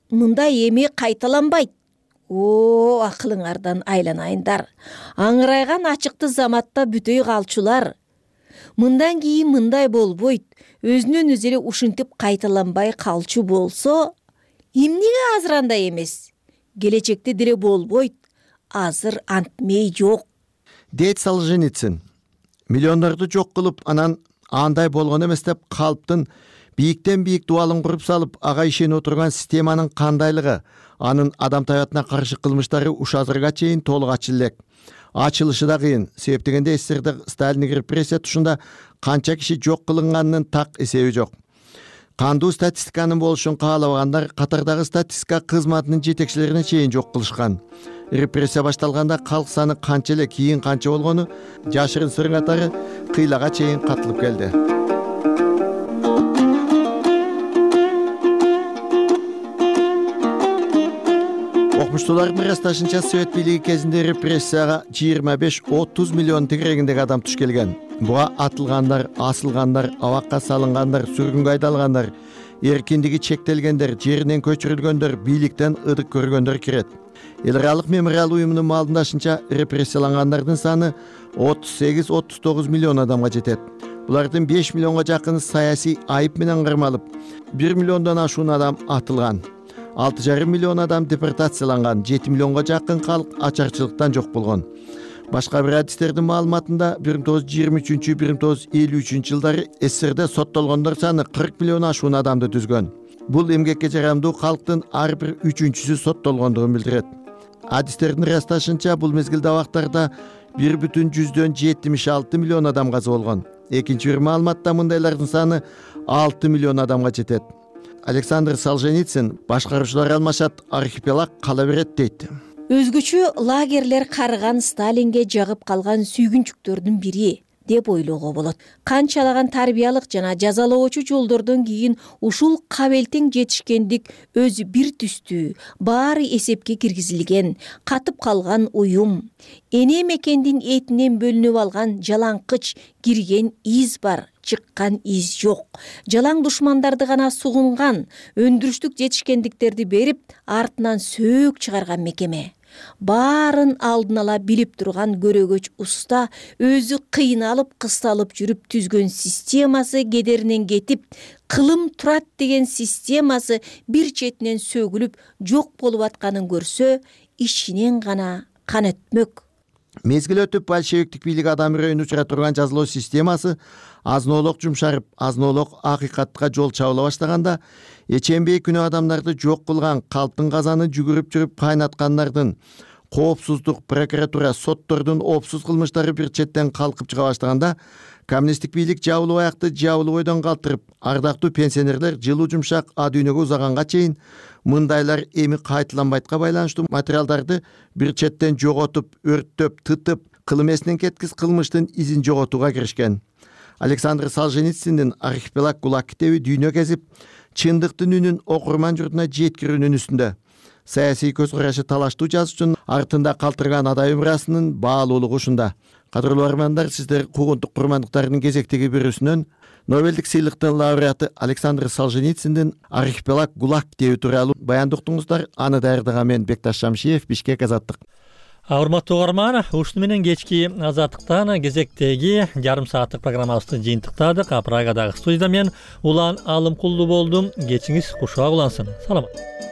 Мындай эми кайталанбайт. О, акылыңардан айланайындар. Аңырайган ачыкты заматта бүтөй калчулар. Мындан кийин мындай болбойт. Өзүнөн өзү эле ушинтип кайталанбай калчу болсо, эмнеге азыр андай эмес? Келечекте деле болбойт. Азыр антмей жок. Дейт Солженицын. Миллиондорду жок кылып, анан андай болгон эмес деп калптын бийиктен бийик дубалын куруп салып, ага ишенип отурган системанын кандайлыгы, анын адам табиятына каршы кылмыштары уш азырга чейин толук ачык элек. Ачылышы да кыйын. Себеп дегенде СССРда Сталиндик репрессия тушунда канча киши жок кылынганынын так эсеби жок. Кандуу статистиканын болушун каалабагандар катардагы статистика кызматынын жетекчилерине чейин жок кылышкан. Репрессия башталганда калк саны канча эле, кийин канча болгону жашырын сырың катары кыйлага чейин катылып келди. Окумуштуулардын ырасташынча Совет бийлиги кезинде репрессияга 25-30 миллион тегерегиндеги адам туш келген. Буга атылгандар, асылгандар, абакка салынгандар, сүргүнгө айдалгандар, эркиндиги чектелгендер, жеринен көчүрүлгөндөр, бийликтен ыдык көргөндөр кирет. Эл аралык мемориал уюмунун маалымдашынча репрессиялангандардын саны 38-39 миллион адамга жетет. Булардын 5 миллионго жакыны саясий айып менен кармалып, 1 миллиондон ашуун адам атылган. 6,5 миллион адам депортацияланган, 7 миллионго жакын калк ачарчылыктан жок болгон. Башка бир адистердин маалыматында 1923-1953 жылдары СССРде соттолгондор саны 40 миллион ашуун адамды түзгөн. Бул эмгекке жарамдуу калктын ар бир 3-үчүсү соттолгондугун билдирет. Адистердин ырасташынча бул мезгилде абактарда 1,76 миллион адам каза болгон. Экинчи бир маалыматта мындайлардын саны 6 миллион адамга жетет. Александр Солженицын башкаруучулар алмашат, архипелаг кала берет дейт. Өзгөчө лагерлер карыган Сталинге жагып калган сүйгүнчүктөрдүн бири деп ойлоого болот. Канчалаган тарбиялык жана жазалоочу жолдордон кийин ушул кабелтең жетишкендик өзү бир түстүү, баары эсепке киргизилген, катып калган уюм, эне мекендин этинен бөлүнүп алган жалаңкыч кирген из бар, чыккан из жок. Жалаң душмандарды гана сугунган, өндүрүштүк жетишкендиктерди берип, артынан сөөк чыгарган мекеме. Баарын алдын ала билип турган көрөгөч уста өзү кыйналып кысталып жүрүп түзгөн системасы кедеринен кетип, кылым турат деген системасы бир четинен сөгүлүп жок болуп атканын көрсө, ичинен гана кан өтмөк. Мезгил өтүп большевиктик бийлик адам үрөйүн учура турган жазалоо системасы азын-олок жумшарып, азын-олок акыйкатка жол чабыла баштаганда, эченбей күнөө адамдарды жок кылган, калптын казаны жүгүрүп жүрүп кайнаткандардын, коопсуздук прокуратура соттордун оопсуз кылмыштары бир четтен калкып чыга баштаганда коммунисттик бийлик жабылуу аякты жабылуу ойдон калтырып, ардактуу пенсионерлер жылуу жумшак а дүйнөгө узаганга чейин мындайлар эми кайталанбайтка байланыштуу материалдарды бир четтен жоготуп, өрттөп, тытып, кыл эмесинен кеткис кылмыштын изин жоготууга киришкен. Александр Солженициндин «Архипелаг ГУЛАГ» китеби дүйнө кезип, чындыктын үнүн окурман журтуна жеткирүүнүн үстүндө. Саясий көз карашы талаштуу жазуучунун артында калтырган адай мурасынын баалуулугу ушунда. Кадырлуу армандар, сиздер куугунтук курмандыктардын кезектеги бирүүсүнөн Нобелдик сыйлыктын лауреаты Александр Солженициндин «Архипелаг ГУЛАГ» китеби тууралуу баян уктуңуздар. Аны даярдаган мен Бекташ Шамшиев, Бишкек, Азаттык. Урматтуу угарман, ушуну менен кечки Азаттыктан кезектеги жарым сааттык программабызды жыйынтыктадык. Прагадагы студияда мен Улан Алымкулду болдум. Кечиңиз кушак улансын. Саламат.